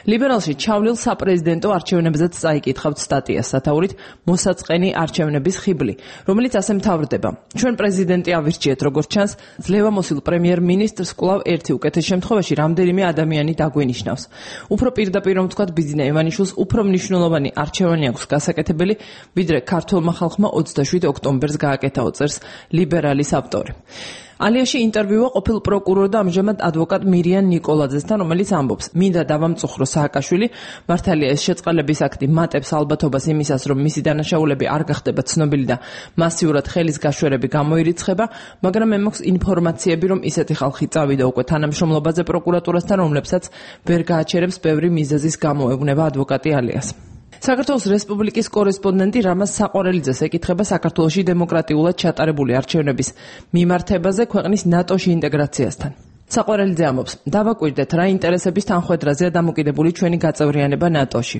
ლიბერალში ჩავლილ საპრეზიდენტო არჩევნებზეც წაიკითხავთ სტატიას სათაურით მოსაწყენი არჩევნების ხიბლი, რომელიც ასე მთავრდება. ჩვენ პრეზიდენტი ავირჩიეთ, როგორც ჩანს, ძლევამოსილ პრემიერ-მინისტრს კვლავ ერთი უკეთეს შემთხვევაში რამდენიმე ადამიანი დაგვენიშნავს. უფრო პირდაპირ რომ ვთქვათ, ბიძინა ივანიშვილს უფრო მნიშვნელოვანი არჩევანი აქვს გასაკეთებელი, ვიდრე ქართულმა ხალხმა ოცდაშვიდ ოქტომბერს გააკეთაო, წერს ლიბერალის ავტორი. ალიაში ინტერვიუა ყოფილ პროკურორ და ამჟამად ადვოკატ მირიან ნიკოლაძესთან, რომელიც ამბობს: მინდა დავამწუხრო სააკაშვილი, მართალია ეს შეწყალების აქტი მატებს ალბათობას იმისას, რომ მისი დანაშაულები არ გახდება ცნობილი და მასიურად ხელის გაშვერები გამოირიცხება, მაგრამ მე მაქვს ინფორმაციები, რომ ისეთი ხალხი წავიდა უკვე თანამშრომლობაზე პროკურატურასთან, რომლებსაც ვერ გააჩერებს ბევრი მიზეზის გამო, ეუბნება ადვოკატი ალიას. საქართველოს რესპუბლიკის კორესპონდენტი რამაზ საყვარელიძეს ეკითხება საქართველოში დემოკრატიულად ჩატარებული არჩევნების მიმართებაზე ქვეყნის ნატოში ინტეგრაციასთან. საყვარელიძე ამბობს: დავაკვირდეთ, რა ინტერესების თანხვედრაზეა დამოკიდებული ჩვენი გაწევრიანება ნატოში.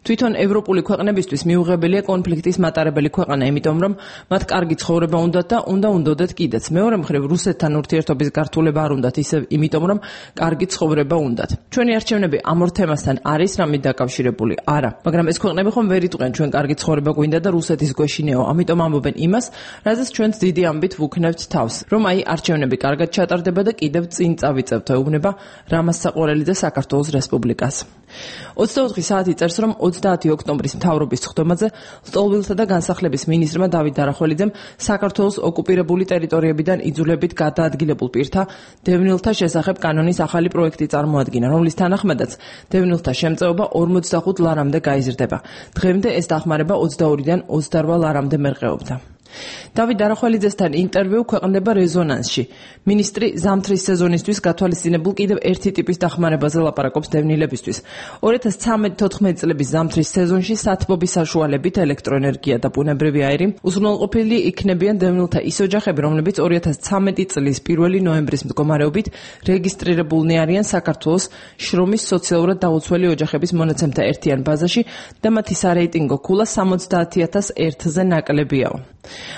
თვითონ ევროპული ქვეყნებისთვის მიუღებელია კონფლიქტის მატარებელი ქვეყანა, იმიტომ რომ მათ კარგი ცხოვრება უნდათ და უნდა უნდოდეთ კიდეც. მეორე მხრივ, რუსეთთან ურთიერთობის გართულება არ უნდათ ისევ, იმიტომ რომ კარგი ცხოვრება უნდათ. ჩვენი არჩევნები ამ ორ თემასთან არის რამით დაკავშირებული? არა, მაგრამ ეს ქვეყნები ხომ ვერ იტყვიან ჩვენ კარგი ცხოვრება გვინდა და რუსეთის გვეშინეო, ამიტომ ამბობენ იმას, რაზეც ჩვენც დიდი ამბით ვუქნევთ თავს, რომ აი არჩევნები კარგად ჩატარდება და კიდევ წინ წავიწევთ, ეუბნება რამაზ საყვარელიძე საქართველოს რესპუბლიკას. ოცდაოთხი საათი წერს, რომ ოცდაათი ოქტომბრის მთავრობის სხდომაზე ლტოლვილთა და განსახლების მინისტრმა დავით დარახველიძემ საქართველოს ოკუპირებული ტერიტორიებიდან იძულებით გადაადგილებულ პირთა დევნილთა შესახებ კანონის ახალი პროექტი წარმოადგინა, რომლის თანახმადაც დევნილთა შემწეობა ორმოცდახუთ ლარამდე გაიზრდება. დღემდე ეს დახმარება ოცდაორიდან ოცდარვა ლარამდე მერყეობდა. დავით არახველიძესთან ინტერვიუ ქვეყნდება რეზონანსში. მინისტრი ზამთრის სეზონისთვის გათვალისწინებულ კიდევ ერთი ტიპის დახმარებაზე ლაპარაკობს დევნილებისთვის. ორი ათას ცხრამეტ-თოთხმეტი წლების ზამთრის სეზონში სათბობის საშუალებით ელექტროენერგია და ბუნებრივი აირი უზრუნველყოფილი იქნებიან დევნილთა ის ოჯახები, რომლებიც ორი ათას ცხრამეტი წლის პირველი ნოემბრის მდგომარეობით რეგისტრირებულნი არიან საქართველოს შრომის სოციალურად დაუცველი ოჯახების მონაცემთა ერთიან ბაზაში და მათი სარეიტინგო ქულა სამოცდაათი ათას ერთზე ნაკლებიაო.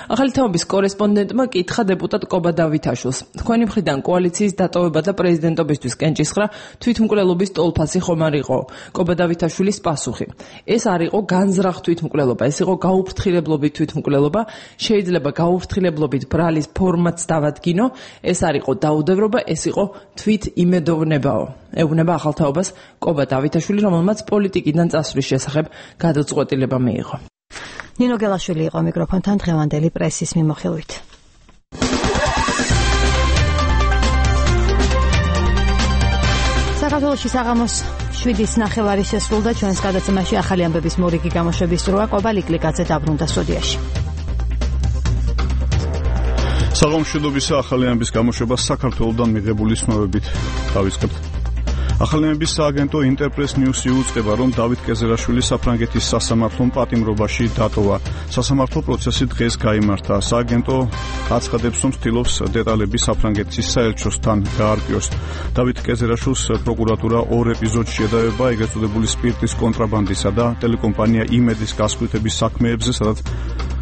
ახალი თაობის კორესპონდენტმა კითხა დეპუტატ კობა დავითაშვილს. თქვენი მხრიდან კოალიციის დატოვება და პრეზიდენტობისთვის კენჭისხრა თვითმკვლელობის ტოლფასი ხომ არ იყო? კობა დავითაშვილის პასუხი. ეს არ იყო განზრახ თვითმკვლელობა, ეს იყო გაუფრთხილებლობით თვითმკვლელობა, შეიძლება გაუფრთხილებლობით ბრალის ფორმაც დავადგინო, ეს არ იყო დაუდევრობა, ეს იყო თვითიმედოვნებაო. ეუბნება ახალ თაობას კობა დავითაშვილი, რომელმაც პოლიტიკიდან წასვლის შესახებ გადაწყვეტილება მიიღო. ნინო გელაშვილი იყო მიკროფონთან დღევანდელი პრესის მიმოხილვით. საქართველოში საღამოს შვიდის ნახევარი შესრულდა, ჩვენს გადაცემაში ახალი ამბების მორიგი გამოშვების დროა. კობა ლიკლიკაძე დაბრუნდა სტუდიაში. საღამოს მშვიდობისა, ახალი ამბების გამოშვება საქართველოსთან მიღებული ცნობებით დავიწყებთ. ახალი ამბების სააგენტო ინტერპრეს ნიუსი უწყება, რომ დავით კეზერაშვილი საფრანგეთის სასამართლომ პატიმრობაში დატოვა. სასამართლო პროცესი დღეს გაიმართა. სააგენტო აცხადებს, რომ ცდილობს დეტალები საფრანგეთის საელჩოსთან გაარკვიოს. დავით კეზერაშვილს პროკურატურა ორ ეპიზოდში ედავება, ეგრეთ წოდებული სპირტის კონტრაბანდისა და ტელეკომპანია იმედის გასხვიტების საქმეებზე, სადაც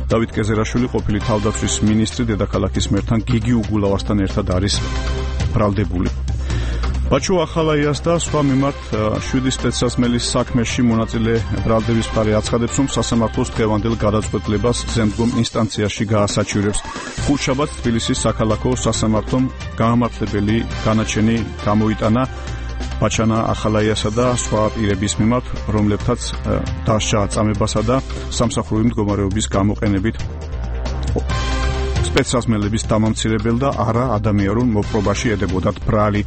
დავით კეზერაშვილი ყოფილი თავდაცვის მინისტრი დედაქალაქის მერთან გიგი უგულავასთან ერთად არის ბრალდებული. ბაჩო ახალაიას და სხვა მიმართ შვიდი სპეცსასმელის საქმეში მონაწილე ბრალდების მხარე აცხადებს, რომ სასამართლოს დღევანდელ გადაწყვეტილებას ზემდგომ ინსტანციაში გაასაჩივრებს. ხუთშაბათს თბილისის საქალაქო სასამართლომ გაამართლებელი განაჩენი გამოიტანა ბაჩანა ახალაიასა და სხვა პირების მიმართ, რომლებთაც დასჯა აწამებასა და სამსახურული მდგომარეობის გამოყენებით სპეცსასმელების დამამცირებელ და არა ადამიანურ მოპყრობაში ედებოდათ ბრალი.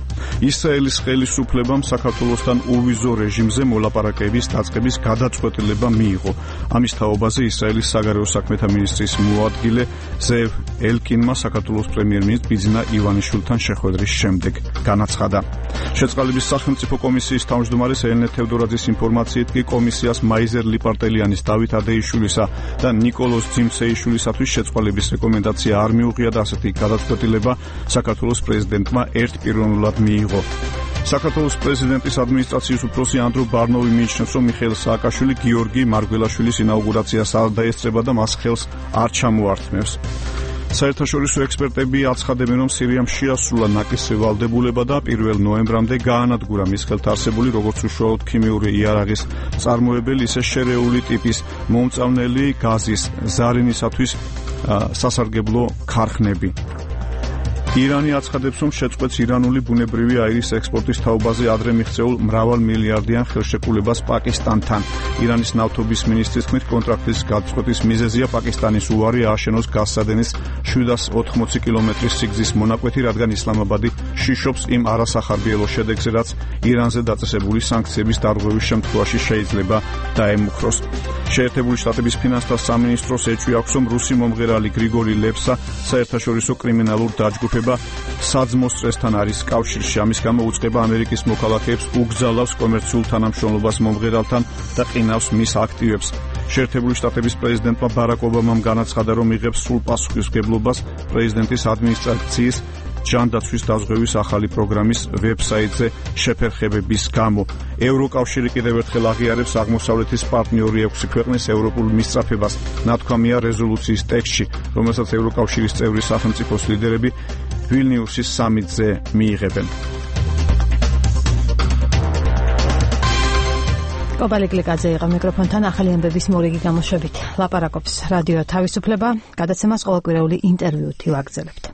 ისრაელის ხელისუფლებამ საქართველოსთან უვიზო რეჟიმზე მოლაპარაკების დაწყების გადაწყვეტილება მიიღო. ამის თაობაზე ისრაელის საგარეო საქმეთა მინისტრის მოადგილე ზევ ელკინმა საქართველოს პრემიერ-მინისტრ ბიძინა ივანიშვილთან შეხვედრის შემდეგ განაცხადა. შეწყალების სახელმწიფო კომისიის თავმჯდომარის ელენე თევდორაძის ინფორმაციით კი კომისიას მაიზერ ლიპარტელიანის, დავით ადეიშვილისა და ნიკოლოზ ძიმცეიშვილისათვის შეწყალების რეკომენდაცია არ მიუღია და ასეთი გადაწყვეტილება საქართველოს პრეზიდენტმა ერთპიროვნულად მიიღო. საქართველოს პრეზიდენტის ადმინისტრაციის უფროსი ანდრო ბარნოვი მიიჩნევს, რომ მიხეილ სააკაშვილი გიორგი მარგველაშვილის ინაუგურაციას არ დაესწრება და მას ხელს არ ჩამოართმევს. საერთაშორისო ექსპერტები აცხადებენ, რომ სირიამ შეასრულა ნაკისრი ვალდებულება და პირველ ნოემბრამდე გაანადგურა მის ხელთ არსებული როგორც უშუალოდ ქიმიური იარაღის წარმოებელი, ისე შერეული ტიპის მომწავნელი გაზის ზარინისათვის სასარგებლო ქარხნები. ირანი აცხადებს, რომ შეწყვეტს ირანული ბუნებრივი აირის ექსპორტის თაობაზე ადრე მიღწეულ მრავალმილიარდიან ხელშეკრულებას პაკისტანთან. ირანის ნავთობის მინისტრის თქმით, კონტრაქტის გადაწყვეტის მიზეზია პაკისტანის უარი ააშენოს გაზსადენის შვიდას ოთხმოცი კილომეტრის სიგრძის მონაკვეთი, რადგან ისლამაბადი შიშობს იმ არასახარბიელო შედეგზე, რაც ირანზე დაწესებული სანქციების დარღვევის შემთხვევაში შეიძლება დაემუქროს. შეერთებული შტატების ფინანსთა სამინისტროს ეჭვი აქვს, რომ რუსი მომღერალი გრიგორი ლეპსა საერთაშორისო კრიმინალურ დაჯგუფებას საძმოს წრესთან არის კავშირში. ამის გამო უწყება ამერიკის მოქალაქეებს უგზალავს კომერციულ თანამშრომლობას მომღერალთან და ყინავს მის აქტივებს. შეერთებული შტატების პრეზიდენტმა ბარაკ ობამამ განაცხადა, რომ იღებს სრულ პასუხისმგებლობას პრეზიდენტის ადმინისტრაციის ჯანდაცვის დაზღვევის ახალი პროგრამის ვებსაიტზე შეფერხებების გამო. ევროკავშირი კიდევ ერთხელ აღიარებს აღმოსავლეთის პარტნიორი ექვსი ქვეყნის ევროპულ მისწრაფებას. ნათქვამია რეზოლუციის ტექსტში, რომელსაც ევროკავშირის წევრი სახელმწიფოს ლიდერები ვილნიუსის სამიტზე მიიღებენ. კობა ლიკლიკაძე იყო მიკროფონთან ახალი ამბების მორიგი გამოშვებით. ლაპარაკობს რადიო თავისუფლება, გადაცემას ყოველკვირეული ინტერვიუთი ვაგრძელებთ.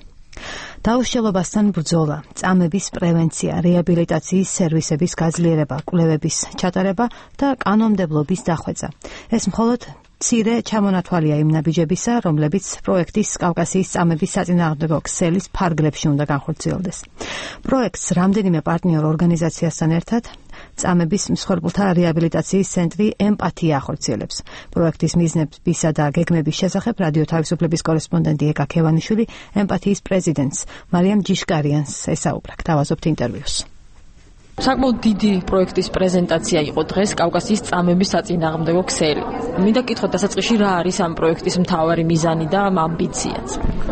დაუშლობასთან ბრძოლა, წამების პრევენცია, რეაბილიტაციის სერვისების გაძლიერება, კვლევების ჩატარება და კანონმდებლობის დახვეწა. ეს მხოლოდ მცირე ჩამონათვალია იმ ნაბიჯებისა, რომლებიც პროექტის კავკასიის წამების საწინააღმდეგო ქსელის ფარგლებში უნდა განხორციელდეს. პროექტს რამდენიმე პარტნიორ ორგანიზაციასთან ერთად წამების მსხვერპლთა რეაბილიტაციის ცენტრი ემპათია ახორციელებს. პროექტის მიზნებისა და გეგმების შესახებ რადიო თავისუფლების კორესპონდენტი ეკა ქევანიშვილი ემპათიის პრეზიდენტს მარიამ ჯიშკარიანს ესაუბრა. დავაზობთ ინტერვიუს. საკმაოდ დიდი პროექტის პრეზენტაცია იყო დღეს კავკასიის წამების საწინააღმდეგო ქსელი. მინდა გითხოთ დასაწყისში რა არის ამ პროექტის მთავარი მიზანი და ამბიციაც.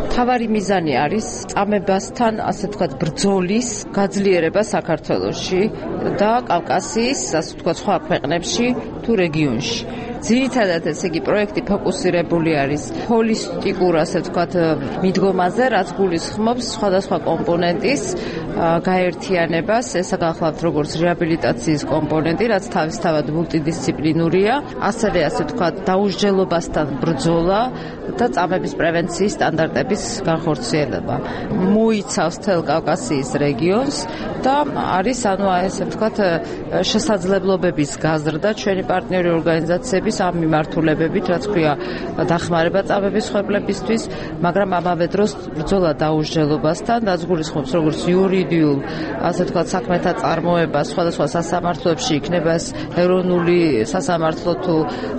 მთავარი მიზანი არის წამებასთან, ასე ვთქვათ, ბრძოლის გაძლიერება საქართველოში და კავკასიის, ასე ვთქვათ, სხვა ქვეყნებში თუ რეგიონში. ძირითადად ესე იგი პროექტი ფოკუსირებული არის ჰოლისტიკურ, ასე ვთქვათ, მიდგომაზე, რაც გულისხმობს სხვადასხვა კომპონენტის გაერთიანებას. ესა გახლავთ როგორც რეაბილიტაციის კომპონენტი, რაც თავისთავად მულტიდისციპლინურია, ასევე ასე ვთქვათ, დაუსჯელობასთან ბრძოლა და წამების პრევენციის სტანდარტების განხორციელება. მოიცავს მთელ კავკასიის რეგიონს და არის, ანუ ესე ვთქვათ, შესაძლებლობების გაზრდა ჩვენი პარტნიორი ორგანიზაციების ამ მიმართულებებით, რაც ქვია დახმარება წამების ხმებლებისთვის, მაგრამ ამავე დროს ბრძოლა დაუსჯელობასთან, რაც გულისხმობს როგორც იურიდიულ, ასე ვთქვათ, საქმეთა წარმოება სხვადასხვა სასამართლოებში, იქნება ეს ეროვნული სასამართლო თუ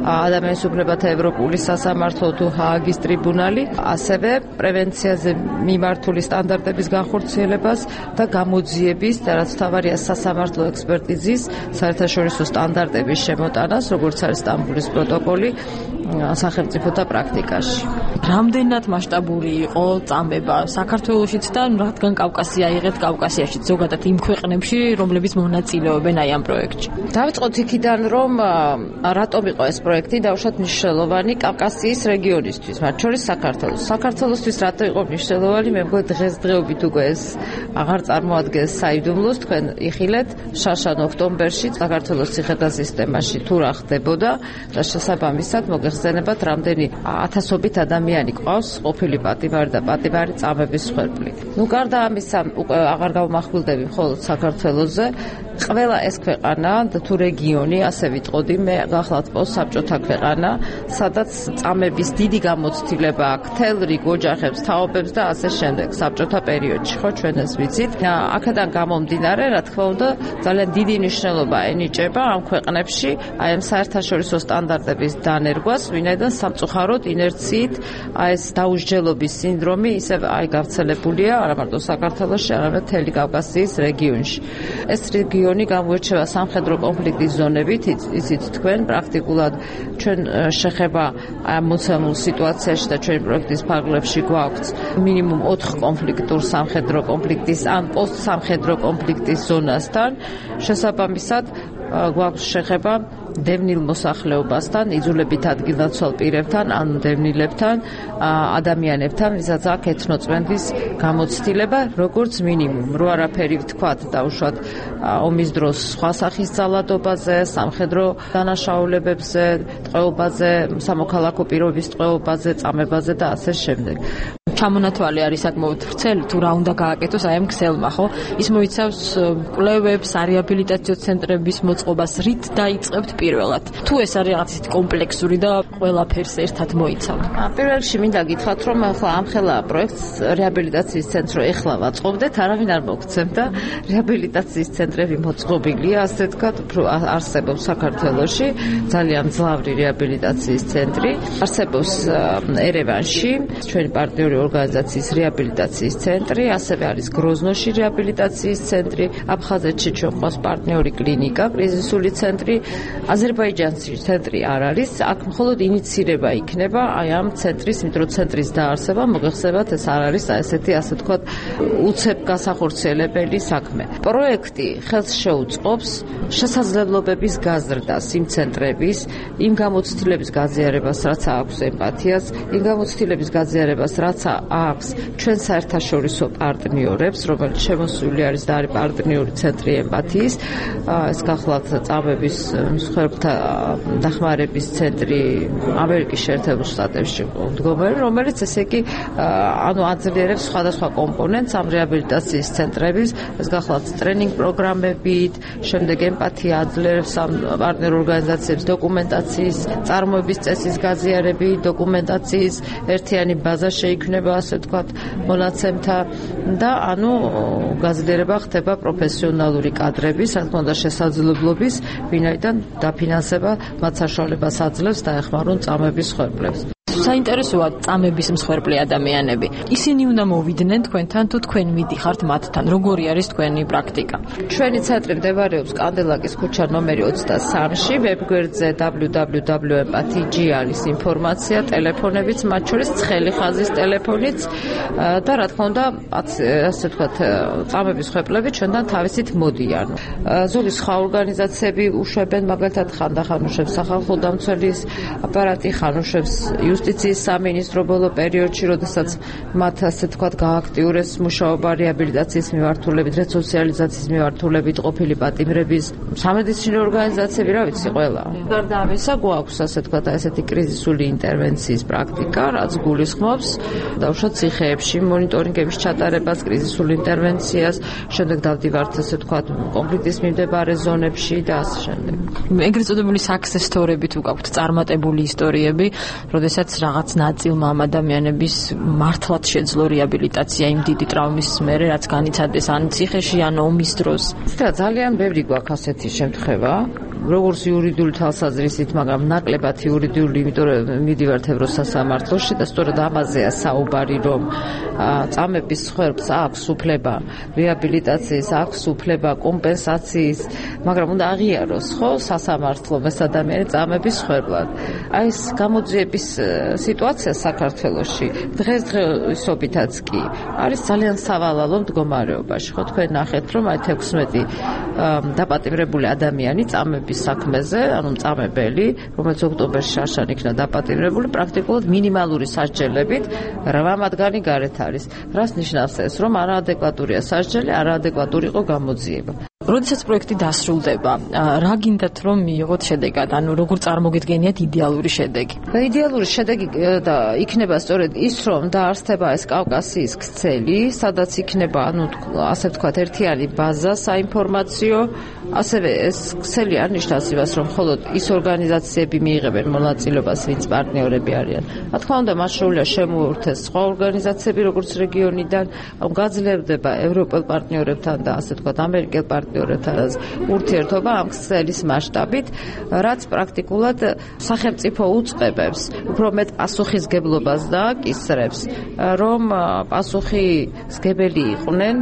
ადამიანის უფლებათა ევროპული სასამართლო თუ ჰააგის ტრიბუნალი, ასევე პრევენციაზე მიმართული სტანდარტების განხორციელებას და გამოძიების და რაც თავარია სასამართლო ექსპერტიზის საერთაშორისო სტანდარტების შემოტანას, როგორც არის სტამბოლის პროტოკოლი სახელმწიფოთა პრაქტიკაში. რამდენად მასშტაბური იყო წამება საქართველოშიც და რადგან კავკასია იღეთ კავკასიაშიც ზოგადად იმ ქვეყნებში, რომლებიც მონაწილეობენ აი ამ პროექტში. დავიწყოთ იქიდან, რომ რატომ იყო ეს პროექტი დაუშვათ მნიშვნელოვანი კავკასიის რეგიონისთვის, მათ შორის საქართველოს. საქართველოსთვის რატო იყო მნიშვნელოვანი? მე მგონი დღესდღეობით უკვე ეს აღარ წარმოადგენს საიდუმლოს, თქვენ იხილეთ შაშან ოქტომბერში საქართველოს ციხეთა სისტემაში თუ რა ხდებოდა და შესაბამისად მოგეხსენებათ, რამდენი ათასობით ადამიანი ყავს ყოფილი პატიმარი და პატიმარი წამების მსხვერპლით. ნუ გარდა ამისა, უკვე აღარ გავმახვილდები მხოლოდ საქართველოზე, ყველა ეს ქვეყანა და თუ რეგიონი, ასე ვიტყოდი, მე გახლავთ პოსტსაბჭოთა ქვეყანა, სადაც წამების დიდი გამოცდილება აქვს მთელ რიგ ოჯახებს, თაობებს და ასე შემდეგ საბჭოთა პერიოდში, ხო, ჩვენ ეს ვიცით. აქედან გამომდინარე, რა თქმა უნდა, ძალიან დიდი მნიშვნელობა ენიჭება ამ ქვეყნებში აი ამ საერთაშორისო სტანდარტების დანერგვას, ვინაიდან სამწუხაროდ ინერციით აი ეს დაუსჯელობის სინდრომი ისევ აი გავრცელებულია არა მარტო საქართველოში, არამედ მთელი კავკასიის რეგიონში. ეს რეგიონი გამოირჩევა სამხედრო კონფლიქტის ზონებით, იცით თქვენ, პრაქტიკულად ჩვენ შეხება ამ მოცემულ სიტუაციაში და ჩვენი პროექტის ფარგლებში გვაქვს მინიმუმ ოთხ კონფლიქტურ სამხედრო კონფლიქტის ან პოსტსამხედრო კონფლიქტის ზონასთან, შესაბამისად გვაქვს შეხება დევნილ მოსახლეობასთან, იძულებით ადგილნაცვალ პირებთან, ან დევნილებთან, ადამიანებთან, ვისაც აქვს ეთნოწმენდის გამოცდილება, როგორც მინიმუმ. რო არაფერი ვთქვათ დაუშვათ ომის დროს სხვა სახის ძალადობაზე, სამხედრო დანაშაულებებზე, ტყვეობაზე, სამოქალაქო პირობის ტყვეობაზე, წამებაზე და ასე შემდეგ. ჩამონათვალი არის საკმაოდ ვრცელი, თუ რა უნდა გააკეთოს აი ამ ქსელმა, ხო? ის მოიცავს კვლევებს, რეაბილიტაციო ცენტრების მოწყობას, რით დაიწყებთ პირველად? თუ ეს არის რაღაც ისეთი კომპლექსური და ყველაფერს ერთად მოიცავ. პირველ რიგში მინდა გითხრათ, რომ ახლა ამხელა პროექტს რეაბილიტაციის ცენტრი ეხლა ვაწყობდეთ, არავინ არ მოგცემდა. რეაბილიტაციის ცენტრები მოწყობილია, ასე ვთქვათ, არსებობს საქართველოში ძალიან მძლავრი რეაბილიტაციის ცენტრი. არსებობს ერევანში, ჩვენი პარტნიორი ორგანიზაციის რეაბილიტაციის ცენტრი, ასევე არის გროზნოში რეაბილიტაციის ცენტრი, აფხაზეთში ჩვენ ყავს პარტნიორი კლინიკა, კრიზისული ცენტრი, აზერბაიჯანში ცენტრი არ არის, აქ მხოლოდ ინიცირება იქნება აი ამ ცენტრის, იმიტომ რომ ცენტრის დაარსება, მოგეხსენებათ, ეს არ არის ესეთი, ასე ვთქვათ, უცებ გასახორციელებელი საქმე. პროექტი ხელს შეუწყობს შესაძლებლობების გაზრდას იმ ცენტრების, იმ გამოცდილების გაზიარებას, რაც აქვს ემპათიას, იმ გამოცდილების გაზიარებას, რაც აქვს ჩვენ საერთაშორისო პარტნიორებს, რომელიც შემოსული არის და არის პარტნიორი ცენტრი ემპათიის, ეს გახლავთ წამების მსხვერპლთა დახმარების ცენტრი ამერიკის შეერთებულ შტატებში მდგომარი, რომელიც ესე იგი ანუ აძლიერებს სხვადასხვა კომპონენტს ამ რეაბილიტაციის ცენტრების, ეს გახლავთ ტრენინგ პროგრამებით, შემდეგ ემპათია აძლიერებს ამ პარტნიორ ორგანიზაციებს დოკუმენტაციის, წარმოების წესის გაზიარები, დოკუმენტაციის ერთიანი ბაზა შეიქმნება, ასე ვთქვათ, მონაცემთა და ანუ გაძლიერება ხდება პროფესიონალური კადრების, რა თქმა უნდა, შესაძლებლობის, ვინაიდან დაფინანსება მათ საშუალებას აძლევს დაეხმარონ წამების მსხვერპლებს. საინტერესოა წამების მსხვერპლი ადამიანები. ისინი უნდა მოვიდნენ თქვენთან თუ თქვენ მიდიხართ მათთან. როგორი არის თქვენი პრაქტიკა? ჩვენი ცენტრი მდებარეობს კანდელაკის ქუჩა ნომერი ოცდასამში, ვებგვერდზე დაბლიუ დაბლიუ დაბლიუ ემ პათი ჯი არის ინფორმაცია, ტელეფონებიც, მათ შორის ცხელი ხაზის ტელეფონიც და რა თქმა უნდა, ასე ვთქვათ, წამების მსხვერპლები ჩვენთან თავისით მოდიან. ზოგი სხვა ორგანიზაციები უშვებენ, მაგალითად ხანდახან უშვებს სახალხო დამცველის აპარატი, ხან უშვებს იუსტიციის სამინისტრო ბოლო პერიოდში, როდესაც მათ ასე თქვათ გააქტიურეს მუშაობა რეაბილიტაციის მიმართულებით, რესოციალიზაციის მიმართულებით ყოფილი პატიმრების სამედიცინო ორგანიზაციები, რა ვიცი, ყველა. გარდა ამისა, გვაქვს ასე თქვათ ესეთი კრიზისული ინტერვენციის პრაქტიკა, რაც გულისხმობს დავუშვათ ციხეებში მონიტორინგების ჩატარებას, კრიზისულ ინტერვენციას, შემდეგ დავდივართ ასე თქვათ კონფლიქტის მიმდებარე ზონებში და ასე შემდეგ. ეგრეთ წოდებული success story-ები თუ გაქვთ წარმატებული ისტორიები, როდესაც რაღაც ნაწილმა ამ ადამიანების მართლაც შეძლო რეაბილიტაცია იმ დიდი ტრავმის მერე, რაც განიცადეს ან ციხეში, ან ომის დროს. და ძალიან ბევრი გვაქვს ასეთი შემთხვევა, როგორც იურიდიული თვალსაზრისით, მაგრამ ნაკლებად იურიდიული, იმიტომ რომ მიდივართ ევროსასამართლოში და სწორედ ამაზეა საუბარი, რომ წამების მსხვერპლს აქვს უფლება რეაბილიტაციის, აქვს უფლება კომპენსაციის, მაგრამ უნდა აღიაროს, ხო, სასამართლომ ეს ადამიანი წამების მსხვერპლად. აი ეს გამოძიების სიტუაცია საქართველოში დღესდღეობითაც კი არის ძალიან სავალალო მდგომარეობაში. ხო, თქვენ ნახეთ, რომ აი თექვსმეტი დაპატიმრებული ადამიანი წამების საქმეზე, ანუ წამებელი, რომელიც ოქტომბერში შარშან იქნა დაპატიმრებული, პრაქტიკულად მინიმალური სასჯელებით რვა მათგანი გარეთ არის. რას ნიშნავს ეს, რომ არაადეკვატურია სასჯელი, არაადეკვატური იყო გამოძიება. როდესაც პროექტი დასრულდება, რა გინდათ რომ მიიღოთ შედეგად, ანუ როგორ წარმოგიდგენიათ იდეალური შედეგი? იდეალური შედეგი და იქნება სწორედ ის, რომ დაარსდება ეს კავკასიის ქსელი, სადაც იქნება, ანუ ასე ვთქვათ, ერთიანი ბაზა საინფორმაციო, ასევე ეს ქსელი არ ნიშნავს იმას, რომ მხოლოდ ის ორგანიზაციები მიიღებენ მონაწილეობას, ვინც პარტნიორები არიან. რა თქმა უნდა, მას შეუძლია შემოუერთეს სხვა ორგანიზაციები, როგორც რეგიონიდან, გაძლევდება ევროპელ პარტნიორებთან და ასე ვთქვათ, ამერიკელ პარტნიორებთან ურთიერთობა ამ ქსელის მასშტაბით, რაც პრაქტიკულად სახელმწიფო უწყებებს, უფრო მეტ პასუხისგებლობას დააკისრებს, რომ პასუხისგებელი იყვნენ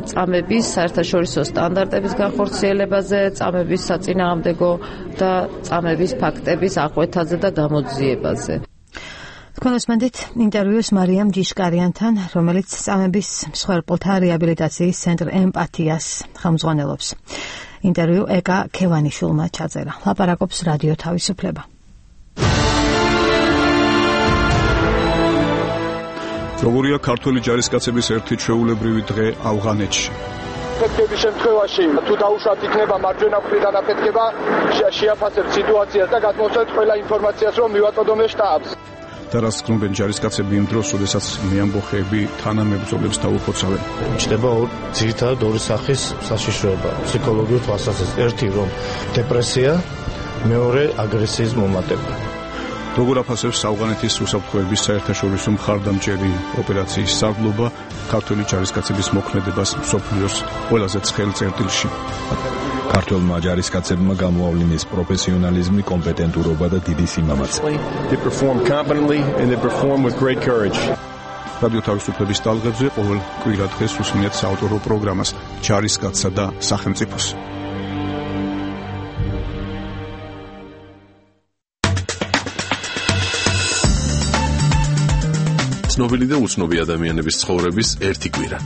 წამების საერთაშორისო სტანდარტების განხორციელებაზე, წამების საწინააღმდეგო და წამების ფაქტების აღკვეთაზე და გამოძიებაზე. თქვენ უსმენთ ინტერვიუს მარიამ ჯიშკარიანთან, რომელიც წამების მსხვერპლთა რეაბილიტაციის ცენტრ ემპათიას ხელმძღვანელობს. ინტერვიუ ეკა ქევანიშვილმა ჩაწერა. ლაპარაკობს რადიო თავისუფლება. როგორია ქართული ჯარისკაცების ერთი ჩვეულებრივი დღე ავღანეთში? აფეთქების შემთხვევაში თუ დაუშვათ იქნება მარჯვენა მხრიდან აფეთქება, შეაფასებთ სიტუაციას და გადმოსცემთ ყველა ინფორმაციას, რომ მივაწოდოთ შტაბს. და რას გქნობენ ჯარისკაცები იმ დროს, როდესაც მეამბოხეები თანამებრძოლებს დაუხოცავენ? ჩნდება ძირითადად ორი სახის საშიშროება ფსიქოლოგიურ თვალსაზრისით. ერთი რომ დეპრესია, მეორე აგრესიის მომატება. როგორ აფასებს ავღანეთის უსაფრთხოების საერთაშორისო მხარდამჭერი ოპერაციის სარდლობა ქართული ჯარისკაცების მოქმედებას მსოფლიოს ყველაზე ცხელ წერტილში? ქართულმა ჯარისკაცებმა გამოავლინეს პროფესიონალიზმი, კომპეტენტურობა და დიდი სიმამაცე. რადიო თავისუფლების ტალღებზე ყოველ კვირა დღეს უსმენთ საავტორო პროგრამას ჯარისკაცსა და სახელმწიფოს. ცნობილი და უცნობი ადამიანების ცხოვრების ერთი კვირა.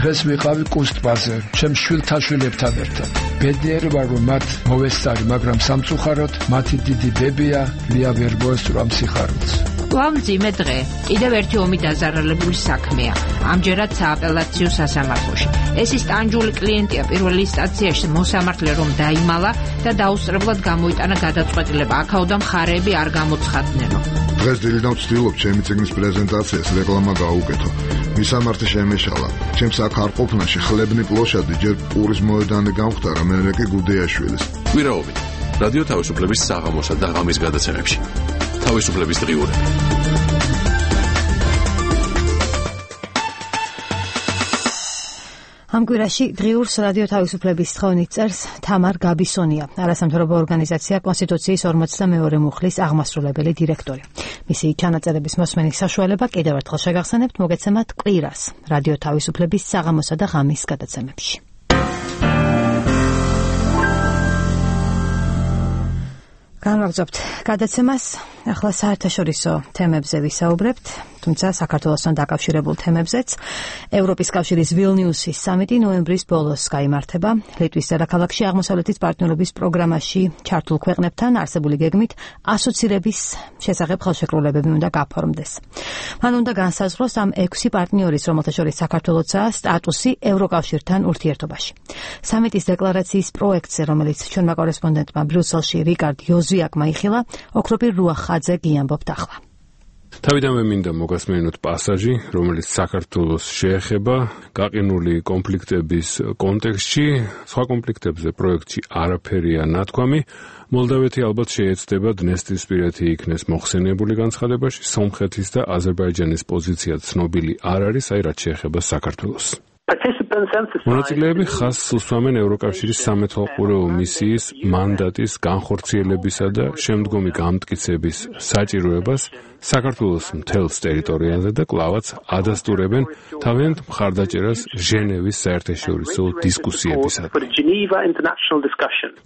დღეს ვიყავი კუსტბაზე, ჩემ შვილთაშვილებთან ერთად. ბედნიერი ვარ, რომ მათ მოვესწარი, მაგრამ სამწუხაროდ მათი დიდი ბებია ლია ვერ მოესწრო ამ სიხარულს. კვლავ მძიმე დღე. კიდევ ერთი ომი დაზარალებული საქმეა. ამჯერად სააპელაციო სასამართლოში. ეს ის ტანჯული კლიენტია პირველ ინსტანციაში მოსამართლე რომ დაიმალა და დაუსწრებლად გამოიტანა გადაწყვეტილება. აქაოდა მხარეები არ გამოცხადნენო. დღეს დილიდან ვცდილობ ჩემი წიგნის პრეზენტაციას რეკლამა გაუკეთო. მისამართი შემეშალა. ჩემს აქ არ ყოფნაში ხლებნი პლოშადი ჯერ პურის მოედანი გამختარა, მერე კი გუდეაშვილის. კვირაობით რადიო თავისუფლების საღამოსა და ღამის გადაცემებში. თავისუფლების დღიურები. ამ კვირაში დღიურს რადიო თავისუფლების თხოვნით წერს თამარ გაბისონია, არასამთავრობო ორგანიზაცია კონსტიტუციის ორმოცდამეორე მუხლის აღმასრულებელი დირექტორი. მისი ჩანაწერების მოსმენის საშუალება კიდევ ერთხელ შეგახსენებთ, მოგეცემათ კვირას რადიო თავისუფლების საღამოსა და ღამის გადაცემებში. განვაგრძობთ გადაცემას, ახლა საერთაშორისო თემებზე ვისაუბრებთ, თუმცა საქართველოსთან დაკავშირებულ თემებზეც. ევროპის კავშირის ვილნიუსის სამიტი ნოემბრის ბოლოს გაიმართება. ლიტვის დედაქალაქში აღმოსავლეთის პარტნიორობის პროგრამაში ჩართულ ქვეყნებთან არსებული გეგმით ასოცირების შესახებ ხელშეკრულებები უნდა გაფორმდეს. მან უნდა განსაზღვროს ამ ექვსი პარტნიორის, რომელთა შორის საქართველოსაა, სტატუსი ევროკავშირთან ურთიერთობაში. სამიტის დეკლარაციის პროექტზე, რომელიც ჩვენმა კორესპონდენტმა ბრიუსელში რიკარდ იოზვიაკმა იხილა, ოქროპირ რუახაძე გიამბობთ ახლა. თავიდანვე მინდა მოგასმენოთ პასაჟი, რომელიც საქართველოს შეეხება გაყინული კონფლიქტების კონტექსტში. სხვა კონფლიქტებზე პროექტში არაფერია ნათქვამი. მოლდავეთი ალბათ შეეცდება დნესტრისპირეთი იქნეს მოხსენიებული განცხადებაში, სომხეთის და აზერბაიჯანის პოზიცია ცნობილი არ არის, აი რაც შეეხება საქართველოს. მონაწილეები ხაზს უსვამენ ევროკავშირის სამეთვალყურეო მისიის მანდატის განხორციელებისა და შემდგომი გამტკიცების საჭიროებას საქართველოს მთელს ტერიტორიაზე და კლავაც ადასტურებენ თავიანთ მხარდაჭერას ჟენევის საერთაშორისო დისკუსიებისადმი.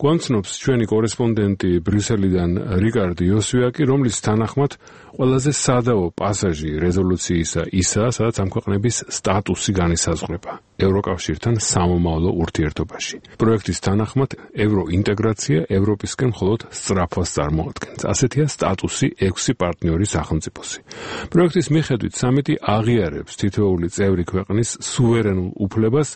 გვამცნობს ჩვენი კორესპონდენტი ბრიუსელიდან რიკარდ იოსვიაკი, რომლის თანახმად ყველაზე სადავო პასაჟი რეზოლუციისა ისაა, სადაც ამ ქვეყნების სტატუსი განისაზღვრება ევროკავშირთან სამომავლო ურთიერთობაში. პროექტის თანახმად ევროინტეგრაცია ევროპისკენ მხოლოდ სწრაფვას წარმოადგენს. ასეთია სტატუსი ექვსი პარტნიორის სახელმწიფოსი. პროექტის მიხედვით სამიტი აღიარებს თითოეული წევრი ქვეყნის სუვერენულ უფლებას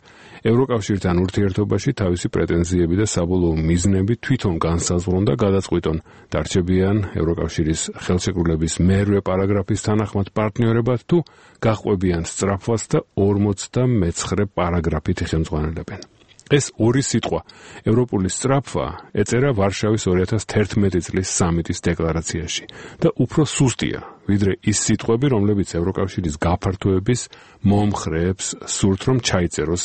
ევროკავშირთან ურთიერთობაში თავისი პრეტენზიები და საბოლოო მიზნები თვითონ განსაზღვრონ და გადაწყვიტონ. დარჩებიან ევროკავშირის ხელშეკრულების მერვე პარაგრაფის თანახმად პარტნიორებად თუ გაყვებიან სწრაფვას და ორმოცდამეცხრე პარაგრაფით იხელმძღვანელებენ. ეს ორი სიტყვა ევროპული სწრაფვა ეწერა ვარშავის ორი ათას თერთმეტი წლის სამიტის დეკლარაციაში და უფრო სუსტია ვიდრე ის სიტყვები, რომლებიც ევროკავშირის გაფართოების მომხრეებს სურთ რომ ჩაიწეროს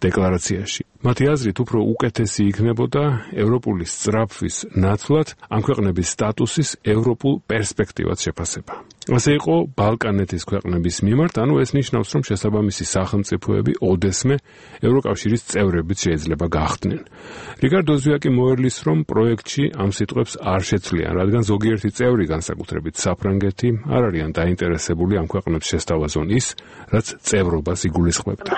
დეკლარაციაში. მათი აზრით უფრო უკეთესი იქნებოდა ევროპული სწრაფვის ნაცვლად ამ ქვეყნების სტატუსის ევროპულ პერსპექტივას შეფასება. ასე იყო ბალკანეთის ქვეყნების მიმართ, ანუ ეს ნიშნავს, რომ შესაბამისი სახელმწიფოები ოდესმე ევროკავშირის წევრებიც შეიძლება გახდნენ. რიკარდ იოზვიაკი მოერლის, რომ პროექტში ამ სიტყვებს არ შეცვლიან, რადგან ზოგიერთი წევრი, განსაკუთრებით საფრანგეთი, არ არიან დაინტერესებული ამ ქვეყნებს შესთავაზონ ის, რაც წევრობას იგულისხმებდა.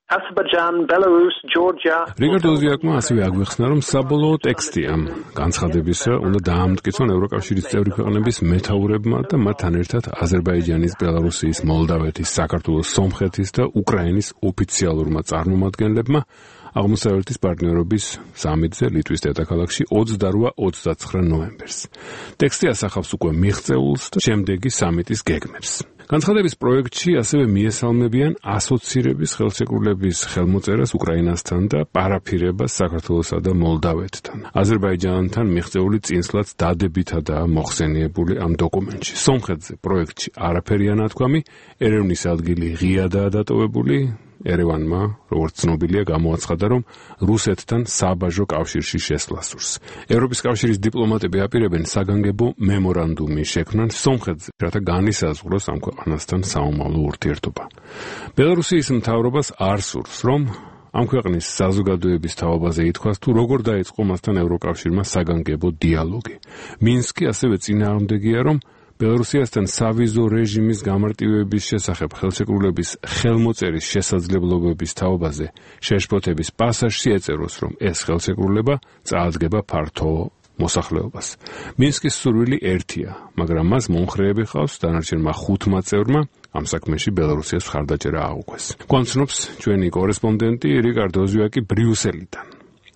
Azerbaijan, Belarus, Georgia. რიკარდ იოზვიაკმა ასევე აგვიხსნა, რომ საბოლოო ტექსტი ამ განცხადებისა უნდა დაამტკიცონ ევროკავშირის წევრი ქვეყნების მეთაურებმა და მათთან ერთად აზერბაიჯანის, ბელარუსის, მოლდავეთის, საქართველოს, სომხეთის და უკრაინის ოფიციალურმა წარმომადგენლებმა აღმოსავლეთის პარტნიორობის სამიტზე ლიტვის დედაქალაქში ოცდაორი ოცდაცხრა ნოემბერს. ტექსტი ასახავს უკვე მიღწეულს და შემდეგი სამიტის გეგმებს. განცხადების პროექტში ასევე მიესალმებიან ასოცირების ხელშეკრულების ხელმოწერას უკრაინასთან და პარაფირებას საქართველოსა და მოლდავეთთან. აზერბაიჯანთან მიღწეული წინსვლაც დადებითადაა მოხსენიებული ამ დოკუმენტში. სომხეთზე პროექტში არაფერია ნათქვამი, ერევნის ადგილი ღიადაა დატოვებული. ერევანმა, როგორც ცნობილია, გამოაცხადა, რომ რუსეთთან საბაჟო კავშირში შესვლა სურს. ევროპის კავშირის დიპლომატები აპირებენ საგანგებო მემორანდუმი შექმნან სომხეთზე, რათა განისაზღვროს ამ ქვეყანასთან საომავლო ურთიერთობა. ბელარუსის მთავრობას არ სურს, რომ ამ ქვეყნის საზოგადოების თავობაზე ითქვას, თუ როგორ დაიწყო მასთან ევროკავშირმა საგანგებო დიალოგი. მინსკი ასევე წინააღმდეგია, რომ ბელარუსიასთან სავიზო რეჟიმის გამარტივების შესახებ ხელშეკრულების ხელმოწერის შესაძლებლობების თაობაზე შეშფოთების პასაჟში ეწეროს, რომ ეს ხელშეკრულება წაადგება ფართო მოსახლეობას. მინსკის სურვილი ერთია, მაგრამ მას მომხრეები ხავს დანარჩენმა ხუთმა წევრმა ამ საქმეში ბელარუსიას მხარდაჭერა აუქვეს. გვამცნობს ჩვენი კორესპონდენტი რიკარდო ოზვიაკი ბრიუსელიდან.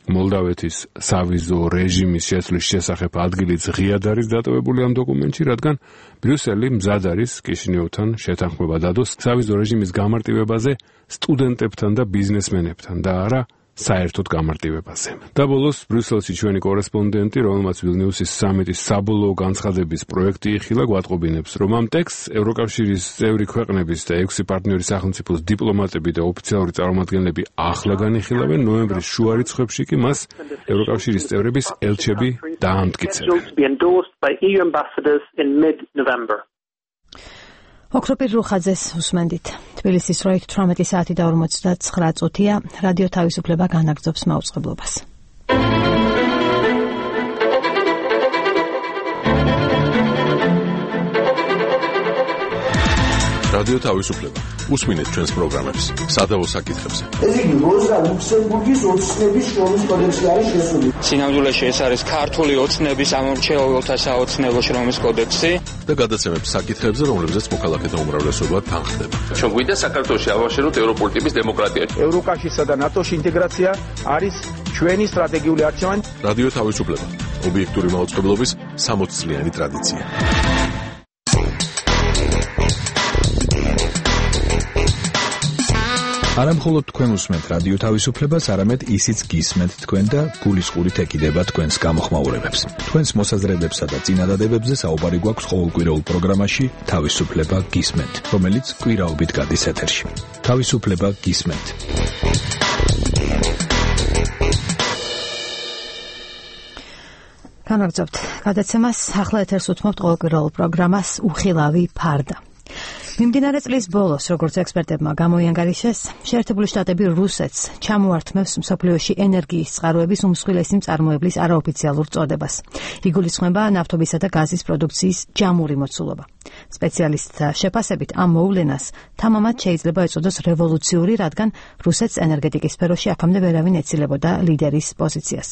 მოლდავეთის სავიზო რეჟიმის შეცვლის შესახებ ადგილიც ღიად არის დატოვებული ამ დოკუმენტში, რადგან ბრიუსელი მზად არის კიშინიოვთან შეთანხმება დადოს სავიზო რეჟიმის გამარტივებაზე სტუდენტებთან და ბიზნესმენებთან და არა საერთოდ გამარტივებაზე. და ბოლოს ბრიუსელში ჩვენი კორესპონდენტი, რომელმაც ვილნიუსის სამიტის საბოლოო განცხადების პროექტი იხილა, გვატყობინებს, რომ ამ ტექსტს ევროკავშირის წევრი ქვეყნების და ექვსი პარტნიორი სახელმწიფოს დიპლომატები და ოფიციალური წარმომადგენლები ახლა განიხილავენ, ნოემბრის შუა რიცხვებში კი მას ევროკავშირის წევრების ელჩები დაამტკიცებენ. ოქროპირ რუხაძეს უსმენდით. თბილისის დროით თვრამეტი საათი და ორმოცდაცხრა წუთია. რადიო თავისუფლება განაგრძობს მაუწყებლობას. რადიო თავისუფლება. უსმინეთ ჩვენს პროგრამებს სადავო საკითხებზე. ეს იგი როზა ლუქსემბურგის ოცნების შრომის კოდექსი არის შესული. სინამდვილეში ეს არის ქართული ოცნების ამორჩეულთა საოცნებო შრომის კოდექსი და გადაცემებს საკითხებზე, რომლებზეც მოქალაქეთა უმრავლესობა თანხდება. ჩვენ გვინდა საქართველოში ავაშენოთ ევროპული ტიპის დემოკრატია. ევროკავშირსა და ნატოში ინტეგრაცია არის ჩვენი სტრატეგიული არჩევანი. რადიო თავისუფლება. ობიექტური მაუწყებლობის სამოც წლიანი ტრადიცია. არა მხოლოდ თქვენ უსმენთ რადიო თავისუფლებას, არამედ ისიც გისმენთ თქვენ და გულისყურით ეკიდება თქვენს გამოხმაურებებს. თქვენს მოსაზრებებსა და წინადადებებზე საუბარი გვაქვს ყოველკვირეულ პროგრამაში თავისუფლება გისმენთ, რომელიც კვირაობით გადის ეთერში. თავისუფლება გისმენთ. განაგრძობთ გადაცემას. ახლა ეთერს უთმობთ ყოველკვირეულ პროგრამას უხილავი ფარდა. მიმდინარე წლის ბოლოს, როგორც ექსპერტებმა გამოიანგარიშეს, შეერთებული შტატები რუსეთს ჩამოართმევს მსოფლიოში ენერგიის წყაროების უმსხვილესი მწარმოებლის არაოფიციალურ წოდებას. იგულისხმება ნავთობისა და გაზის პროდუქციის ჯამური მოცულობა. სპეციალისტთა შეფასებით ამ მოვლენას თამამად შეიძლება ეწოდოს რევოლუციური, რადგან რუსეთს ენერგეტიკის სფეროში აქამდე ვერავინ ეცილებოდა ლიდერის პოზიციას.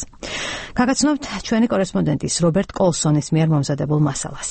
გაგაცნობთ ჩვენი კორესპონდენტის რობერტ კოლსონის მიერ მომზადებულ მასალას.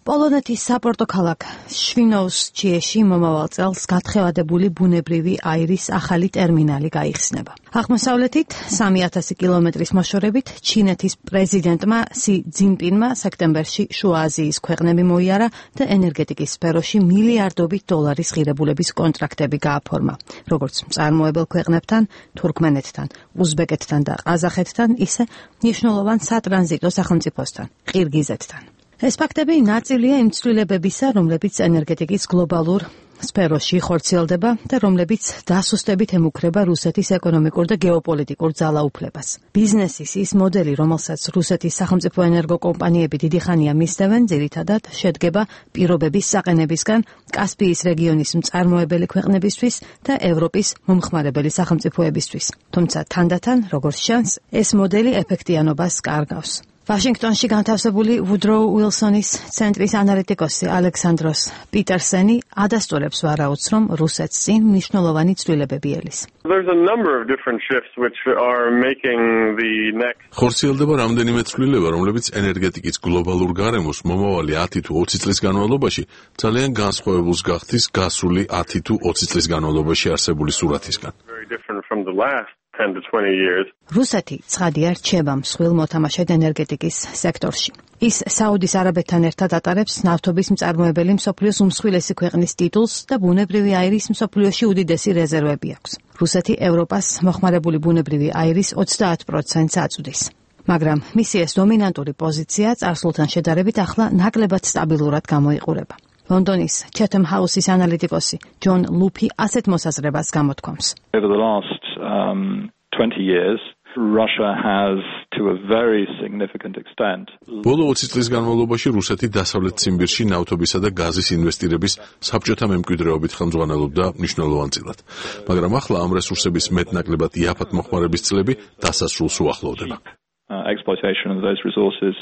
პოლონეთის საპორტო ქალაქ შვინოუსჩიეში მომავალ წელს გათხევადებული ბუნებრივი აირის ახალი ტერმინალი გაიხსნება. აღმოსავლეთით სამი ათასი კილომეტრის მოშორებით ჩინეთის პრეზიდენტმა სი ძინპინმა სექტემბერში შუა აზიის ქვეყნები მოიარა და ენერგეტიკის სფეროში მილიარდობით დოლარის ღირებულების კონტრაქტები გააფორმა, როგორც მწარმოებელ ქვეყნებთან, თურქმენეთთან, უზბეკეთთან და ყაზახეთთან, ისე მნიშვნელოვან სატრანზიტო სახელმწიფოსთან, ყირგიზეთთან. ეს ფაქტები ნაწილია იმ ცვლილებებისა, რომლებიც ენერგეტიკის გლობალურ სფეროში ხორციელდება და რომლებიც დასუსტებით ემუქრება რუსეთის ეკონომიკურ და გეოპოლიტიკურ ძალაუფლებას. ბიზნესის ის მოდელი, რომელსაც რუსეთის სახელმწიფო ენერგოკომპანიები დიდი ხანია მისდევენ, ძირითადად შედგება პირობების საყენებისგან კასპიის რეგიონის მწარმოებელი ქვეყნებისთვის და ევროპის მომხმარებელი სახელმწიფოებისთვის. თუმცა თანდათან, როგორც ჩანს, ეს მოდელი ეფექტიანობას კარგავს. ვაშინგტონში განთავსებული ვუდროუ უილსონის ცენტრის ანალიტიკოსი ალექსანდროს პიტერსენი ადასტურებს ვარაუდს, რომ რუსეთს წინ მნიშვნელოვანი ცვლილებები ელის. ხორციელდება რამდენიმე ცვლილება, რომლებიც ენერგეტიკის გლობალურ გარემოს მომავალი ათი თუ ოცი წლის განმავლობაში ძალიან განსხვავებულს გახდის გასული ათი თუ ოცი წლის განმავლობაში არსებული სურათისგან. რუსეთი ცხადია რჩება მსხვილ მოთამაშედ ენერგეტიკის სექტორში. ის საუდის არაბეთთან ერთად ატარებს ნავთობის მწარმოებელი მსოფლიოს უმსხვილესი ქვეყნის ტიტულს და ბუნებრივი აირის მსოფლიოში უდიდესი რეზერვები აქვს. რუსეთი ევროპას მოხმარებული ბუნებრივი აირის ოცდაათ პროცენტს აწვდის. მაგრამ მისი ეს დომინანტური პოზიცია წარსულთან შედარებით ახლა ნაკლებად სტაბილურად გამოიყურება. ლონდონის Chatham House-ის ანალიტიკოსი ჯონ ლუფი ასეთ მოსაზრებას გამოთქვამს. Over the last um, twenty years, Russia has to a very significant extent. ბოლო ოცი წლის განმავლობაში რუსეთი დასავლეთ ციმბირში ნავთობისა და გაზის ინვესტირების საბჭოთა მემკვიდრეობით ხელმძღვანელობდა მნიშვნელოვანწილად. მაგრამ ახლა ამ რესურსების მეტნაკლებად იაფად მოხმარების წლები დასასრულს უახლოვდება. uh, exploitation of those resources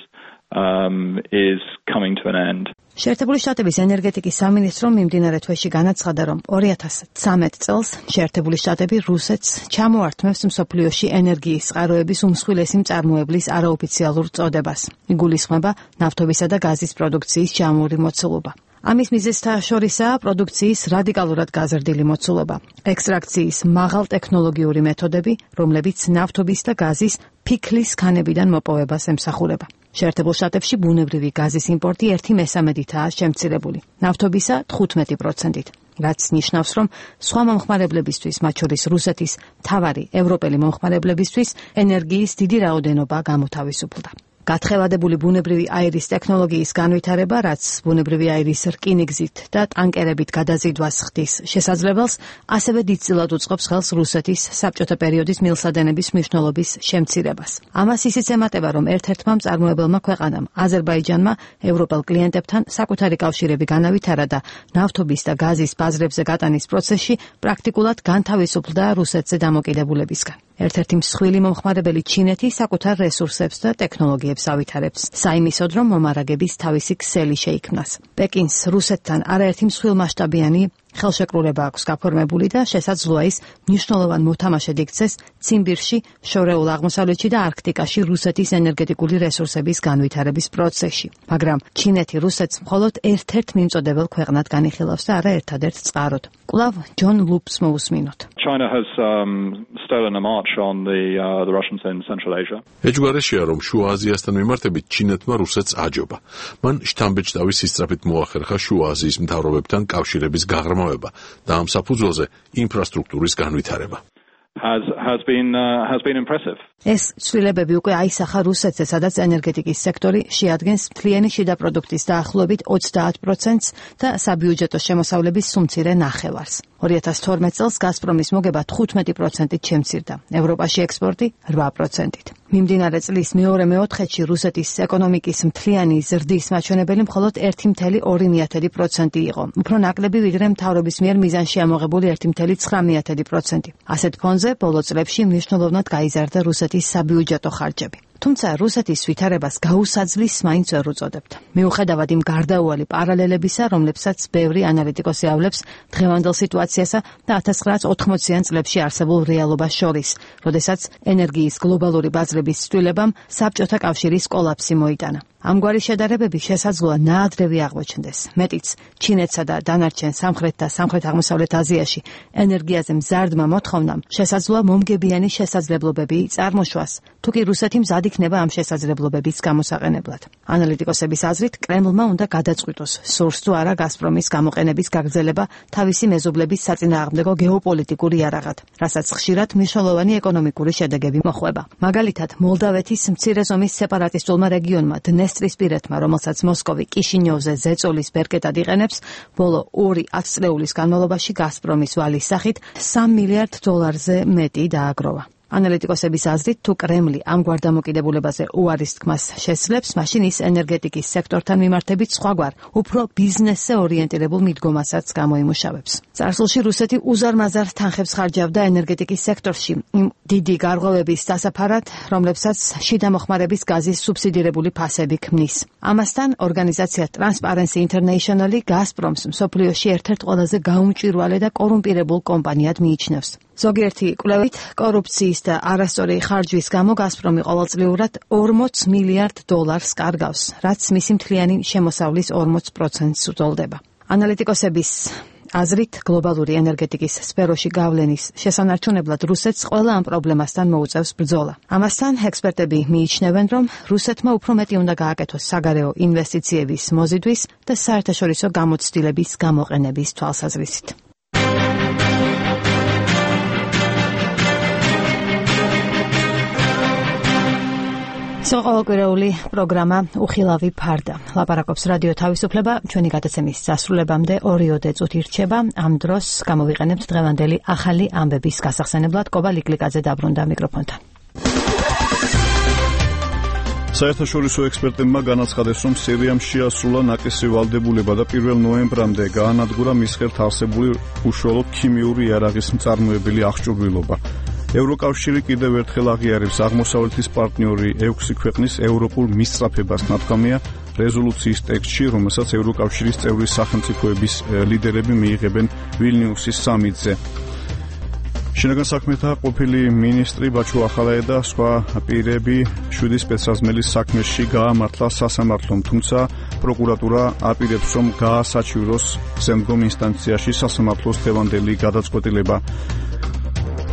um, is coming to an end. შეერთებული შტატების ენერგეტიკის სამინისტრომ მიმდინარე თვეში განაცხადა, რომ ორი ათას ცხრამეტ წელს შეერთებული შტატები რუსეთს ჩამოართმევს მსოფლიოში ენერგიის წყაროების უმსხვილესი მწარმოებლის არაოფიციალურ წოდებას. იგულისხმება ნავთობისა და გაზის პროდუქციის ჯამური მოცულობა. ამის მიზეზთა შორისაა პროდუქციის რადიკალურად გაზრდილი მოცულობა, ექსტრაქციის მაღალტექნოლოგიური მეთოდები, რომლებიც ნავთობის და გაზის ფიქლის ქანებიდან მოპოვებას ემსახურება. შეერთებულ შტატებში ბუნებრივი გაზის იმპორტი ერთი მესამედითაა შემცირებული, ნავთობისა თხუთმეტი პროცენტით, რაც ნიშნავს, რომ სხვა მომხმარებლებისთვის, მათ შორის რუსეთის მთავარი ევროპელი მომხმარებლებისთვის, ენერგიის დიდი რაოდენობა გამოთავისუფლდა. გათხევადებული ბუნებრივი აირის ტექნოლოგიის განვითარება, რაც ბუნებრივი აირის რკინიგზით და ტანკერებით გადაზიდვას ხდის შესაძლებელს, ასევე დიდწილად უწყობს ხელს რუსეთის საბჭოთა პერიოდის მილსადენების მნიშვნელობის შემცირებას. ამას ისიც ემატება, რომ ერთ-ერთმა მწარმოებელმა ქვეყანამ, აზერბაიჯანმა, ევროპელ კლიენტებთან საკუთარი კავშირები განავითარა და ნავთობის და გაზის ბაზრებზე გატანის პროცესში პრაქტიკულად განთავისუფლდა რუსეთზე დამოკიდებულებისგან. ერთ-ერთი მსხვილი მომხმარებელი ჩინეთი საკუთარ რესურსებს და ტექნოლოგიებს ავითარებს, საიმისოდ, რომ მომარაგების თავისი ქსელი შეიქმნას. პეკინს რუსეთთან არაერთი მსხვილმასშტაბიანი ხელშეკრულება აქვს გაფორმებული და შესაძლოა ის მნიშვნელოვან მოთამაშედ იქცეს ციმბირში, შორეულ აღმოსავლეთში და არქტიკაში რუსეთის ენერგეტიკული რესურსების განვითარების პროცესში. მაგრამ ჩინეთი რუსეთს მხოლოდ ერთ-ერთ მიმწოდებელ ქვეყნად განიხილავს და არა ერთადერთ წყაროდ. კვლავ ჯონ ლუპს მოусმინოთ. China has um, stolen a march on the uh, the Russians in Central Asia. ეჯგვარეშია, რომ შუა აზიასთან მიმართებით ჩინეთმა რუსეთს აჯობა. მან შთამბეჭდავის სისწრაფით მოახერხა შუა აზიის მთავრობებთან კავშირების გაღრმავება და ამ საფუძველზე ინფრასტრუქტურის განვითარება. has has been uh, has been impressive. ეს ცვლილებები უკვე აისახა რუსეთზე, სადაც ენერგეტიკის სექტორი შეადგენს მთლიანი შიდა პროდუქტის დაახლოებით ოცდაათ პროცენტს და საბიუჯეტო შემოსავლების სუმცირე ნახევარს. ორი ათას თორმეტ წელს გაზპრომის მოგება თხუთმეტი პროცენტით შემცირდა, ევროპაში ექსპორტი რვა პროცენტით. მიმდინარე წლის მეორე მეოთხედში რუსეთის ეკონომიკის მთლიანი ზრდის მაჩვენებელი მხოლოდ ერთი მცდარი ორი პროცენტი იყო, უფრო ნაკლები ვიდრე მთავრობის მიერ მიზანში ამოღებული ერთი მცდარი ცხრა პროცენტი. ასეთ ფონზე ბოლო წლებში მნიშვნელოვნად გაიზარდა რუსეთის საბიუჯეტო ხარჯები. თუმცა რუსეთის ვითარებას გაუსაძლის მაინც ვერ უწოდებთ. მიუხედავად იმ გარდაუვალი პარალელებისა, რომლებსაც ბევრი ანალიტიკოსი ავლებს დღევანდელ სიტუაციასა და ათას ცხრაასა ოცდაათიან წლებში არსებულ რეალობას შორის, როდესაც ენერგიის გლობალური ბაზრების ცვლილებამ საბჭოთა კავშირის კოლაფსი მოიტანა. ამგვარი შედარებები შესაძლოა ნაადრევი აღმოჩნდეს. მეტიც, ჩინეთსა და დანარჩენ სამხრეთ და სამხრეთ-აღმოსავლეთ აზიაში ენერგიაზე მზარდმა მოთხოვნამ შესაძლოა მომგებიანი შესაძლებლობები წარმოშვას, თუკი რუსეთი მზად იქნება ამ შესაძლებლობების გამოსაყენებლად. ანალიტიკოსების აზრით, კრემლმა უნდა გადაწყვიტოს, სურს თუ არა გაზპრომის გამოყენების გაგრძელება თავისი მეზობლების საწინააღმდეგო გეოპოლიტიკურ იარაღად, რასაც ხშირად მნიშვნელოვანი ეკონომიკური შედეგები მოჰყვება. მაგალითად, მოლდავეთის მცირე ზომის სეპარატისტულმა რეგიონმა დნესტრისპირეთმა, რომელსაც მოსკოვი კიშინიოვზე ზეწოლის ბერკეტად იყენებს, ბოლო ორი ათწლეულის განმავლობაში გაზპრომის ვალის სახით სამ მილიარდ დოლარზე მეტი დააგროვა. ანალიტიკოსების აზრით, თუ კრემლი ამგვარ დამოკიდებულებაზე უარის თქმას შესძლებს, მაშინ ის ენერგეტიკის სექტორთან მიმართებით სხვაგვარ, უფრო ბიზნესზე ორიენტირებულ მიდგომასაც გამოიმუშავებს. წარსულში რუსეთი უზარმაზარ თანხებს ხარჯავდა ენერგეტიკის სექტორში, იმ დიდი გარღვევების დასაფარად, რომლებსაც შიდა მოხმარების გაზის სუბსიდირებული ფასები ქმნის. ამასთან, ორგანიზაცია Transparency International-ი გაზპრომს მსოფლიოში ერთ-ერთ ყველაზე გაუმჭვირვალე და კორუმპირებულ კომპანიად მიიჩნევს. ზოგიერთი კვლევით, კორუფციის და არასწორი ხარჯვის გამო გაზპრომი ყოველწლიურად ორმოც მილიარდ დოლარს კარგავს, რაც მისი მთლიანი შემოსავლის ორმოც პროცენტს უტოლდება. ანალიტიკოსების აზრით, გლობალური ენერგეტიკის სფეროში გავლენის შესანარჩუნებლად რუსეთს ყველა ამ პრობლემასთან მოუწევს ბრძოლა. ამასთან, ექსპერტები მიიჩნევენ, რომ რუსეთმა უფრო მეტი უნდა გააკეთოს საგარეო ინვესტიციების მოზიდვის და საერთაშორისო გამოცდილების გამოყენების თვალსაზრისით. ყოველკვირეული პროგრამა უხილავი ფარდა. ლაპარაკობს რადიო თავისუფლება, ჩვენი გადაცემის დასრულებამდე ორიოდე წუთი რჩება. ამ დროს გამოვიყენებთ დღევანდელი ახალი ამბების გასახსენებლად. კობა ლიკლიკაძე დაბრუნდა მიკროფონთან. საერთაშორისო ექსპერტებმა განაცხადეს, რომ სირიამ შეასრულა ნაკისი ვალდებულება და პირველ ნოემბრამდე გაანადგურა მის ხელთ არსებული უშუალო ქიმიური იარაღის მწარმოებელი აღჭურვილობა. ევროკავშირი კიდევ ერთხელ აღიარებს აღმოსავლეთის პარტნიორი ექვსი ქვეყნის ევროპულ მისწრაფებას. ნათქვამია რეზოლუციის ტექსტში, რომელსაც ევროკავშირის წევრი სახელმწიფოების ლიდერები მიიღებენ ვილნიუსის სამიტზე. შინაგან საქმეთა ყოფილი მინისტრი ბაჩუ ახალაე და სხვა პირები შვიდი სპეცსაზმელის საქმეში გაამართლა სასამართლომ, თუმცა პროკურატურა აპირებს, რომ გაასაჩივროს შემდგომ ინსტანციაში სასამართლოს დღევანდელი გადაწყვეტილება.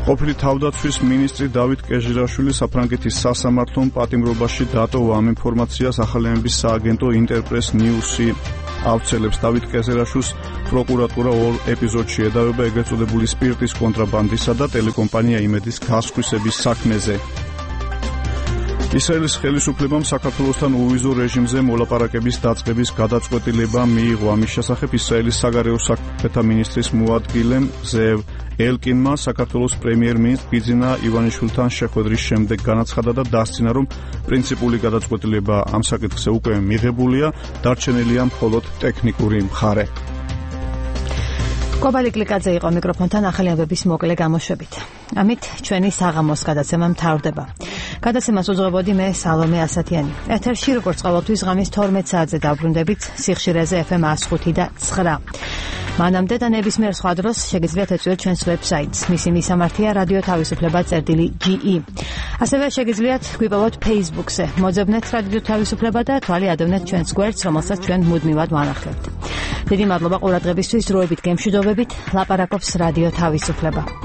ყოფილი თავდაცვის მინისტრი დავით კეჟირაშვილი საფრანგეთის სასამართლომ პატიმრობაში დატოვა ამ ინფორმაციას. ახალემების სააგენტო ინტერპრეს ნიუსი ავრცელებს დავით კეჟირაშვილს პროკურატურა ორ ეპიზოდში ედავება ეგრეთ წოდებული სპირტის კონტრაბანდისა და ტელეკომპანია იმედის გასხვისების საქმეზე. ისრაელის ხელისუფლებამ საქართველოსთან უვიზო რეჟიმზე მოლაპარაკების დაწყების გადაწყვეტილება მიიღო. ამის შესახებ ისრაელის საგარეო საქმეთა მინისტრის მოადგილემ ზევ ელკინმა საქართველოს პრემიერ-მინისტრ ბიძინა ივანიშვილთან შეხვედრის შემდეგ განაცხადა და დასცინა, რომ პრინციპული გადაწყვეტილება ამ საკითხზე უკვე მიღებულია, დარჩენილია მხოლოდ ტექნიკური მხარე. კობალი კლიკაძე იყო მიკროფონთან ახალი ამბების მოკლე გამოშვებით. ამით ჩვენი საღამოს გადაცემა მთავრდება. გადაცემას უძღვებოდი მე სალომე ასათიანი. ეთერში როგორც ყოველთვის ღამის თორმეტ საათზე დავბრუნდებით სიხშირეზე ეფ ემ εκατო ხუთი და ცხრა. მანამდე და ნებისმიერ სხვა დროს შეგიძლიათ ეწვიოთ ჩვენს ვებსაიტს. მისი მისამართია რადიო თავისუფლება წერტილი ჯი ი. ასევე შეგიძლიათ გვიპოვოთ Facebook-ზე. მოძებნეთ რადიო თავისუფლება და თვალი ადევნეთ ჩვენს გვერდს, რომელსაც ჩვენ მუდმივად ვანახლებთ. დიდი მადლობა ყურადღებისთვის, დროებით გემშვიდობებით. ლაპარაკობს რადიო თავისუფლება.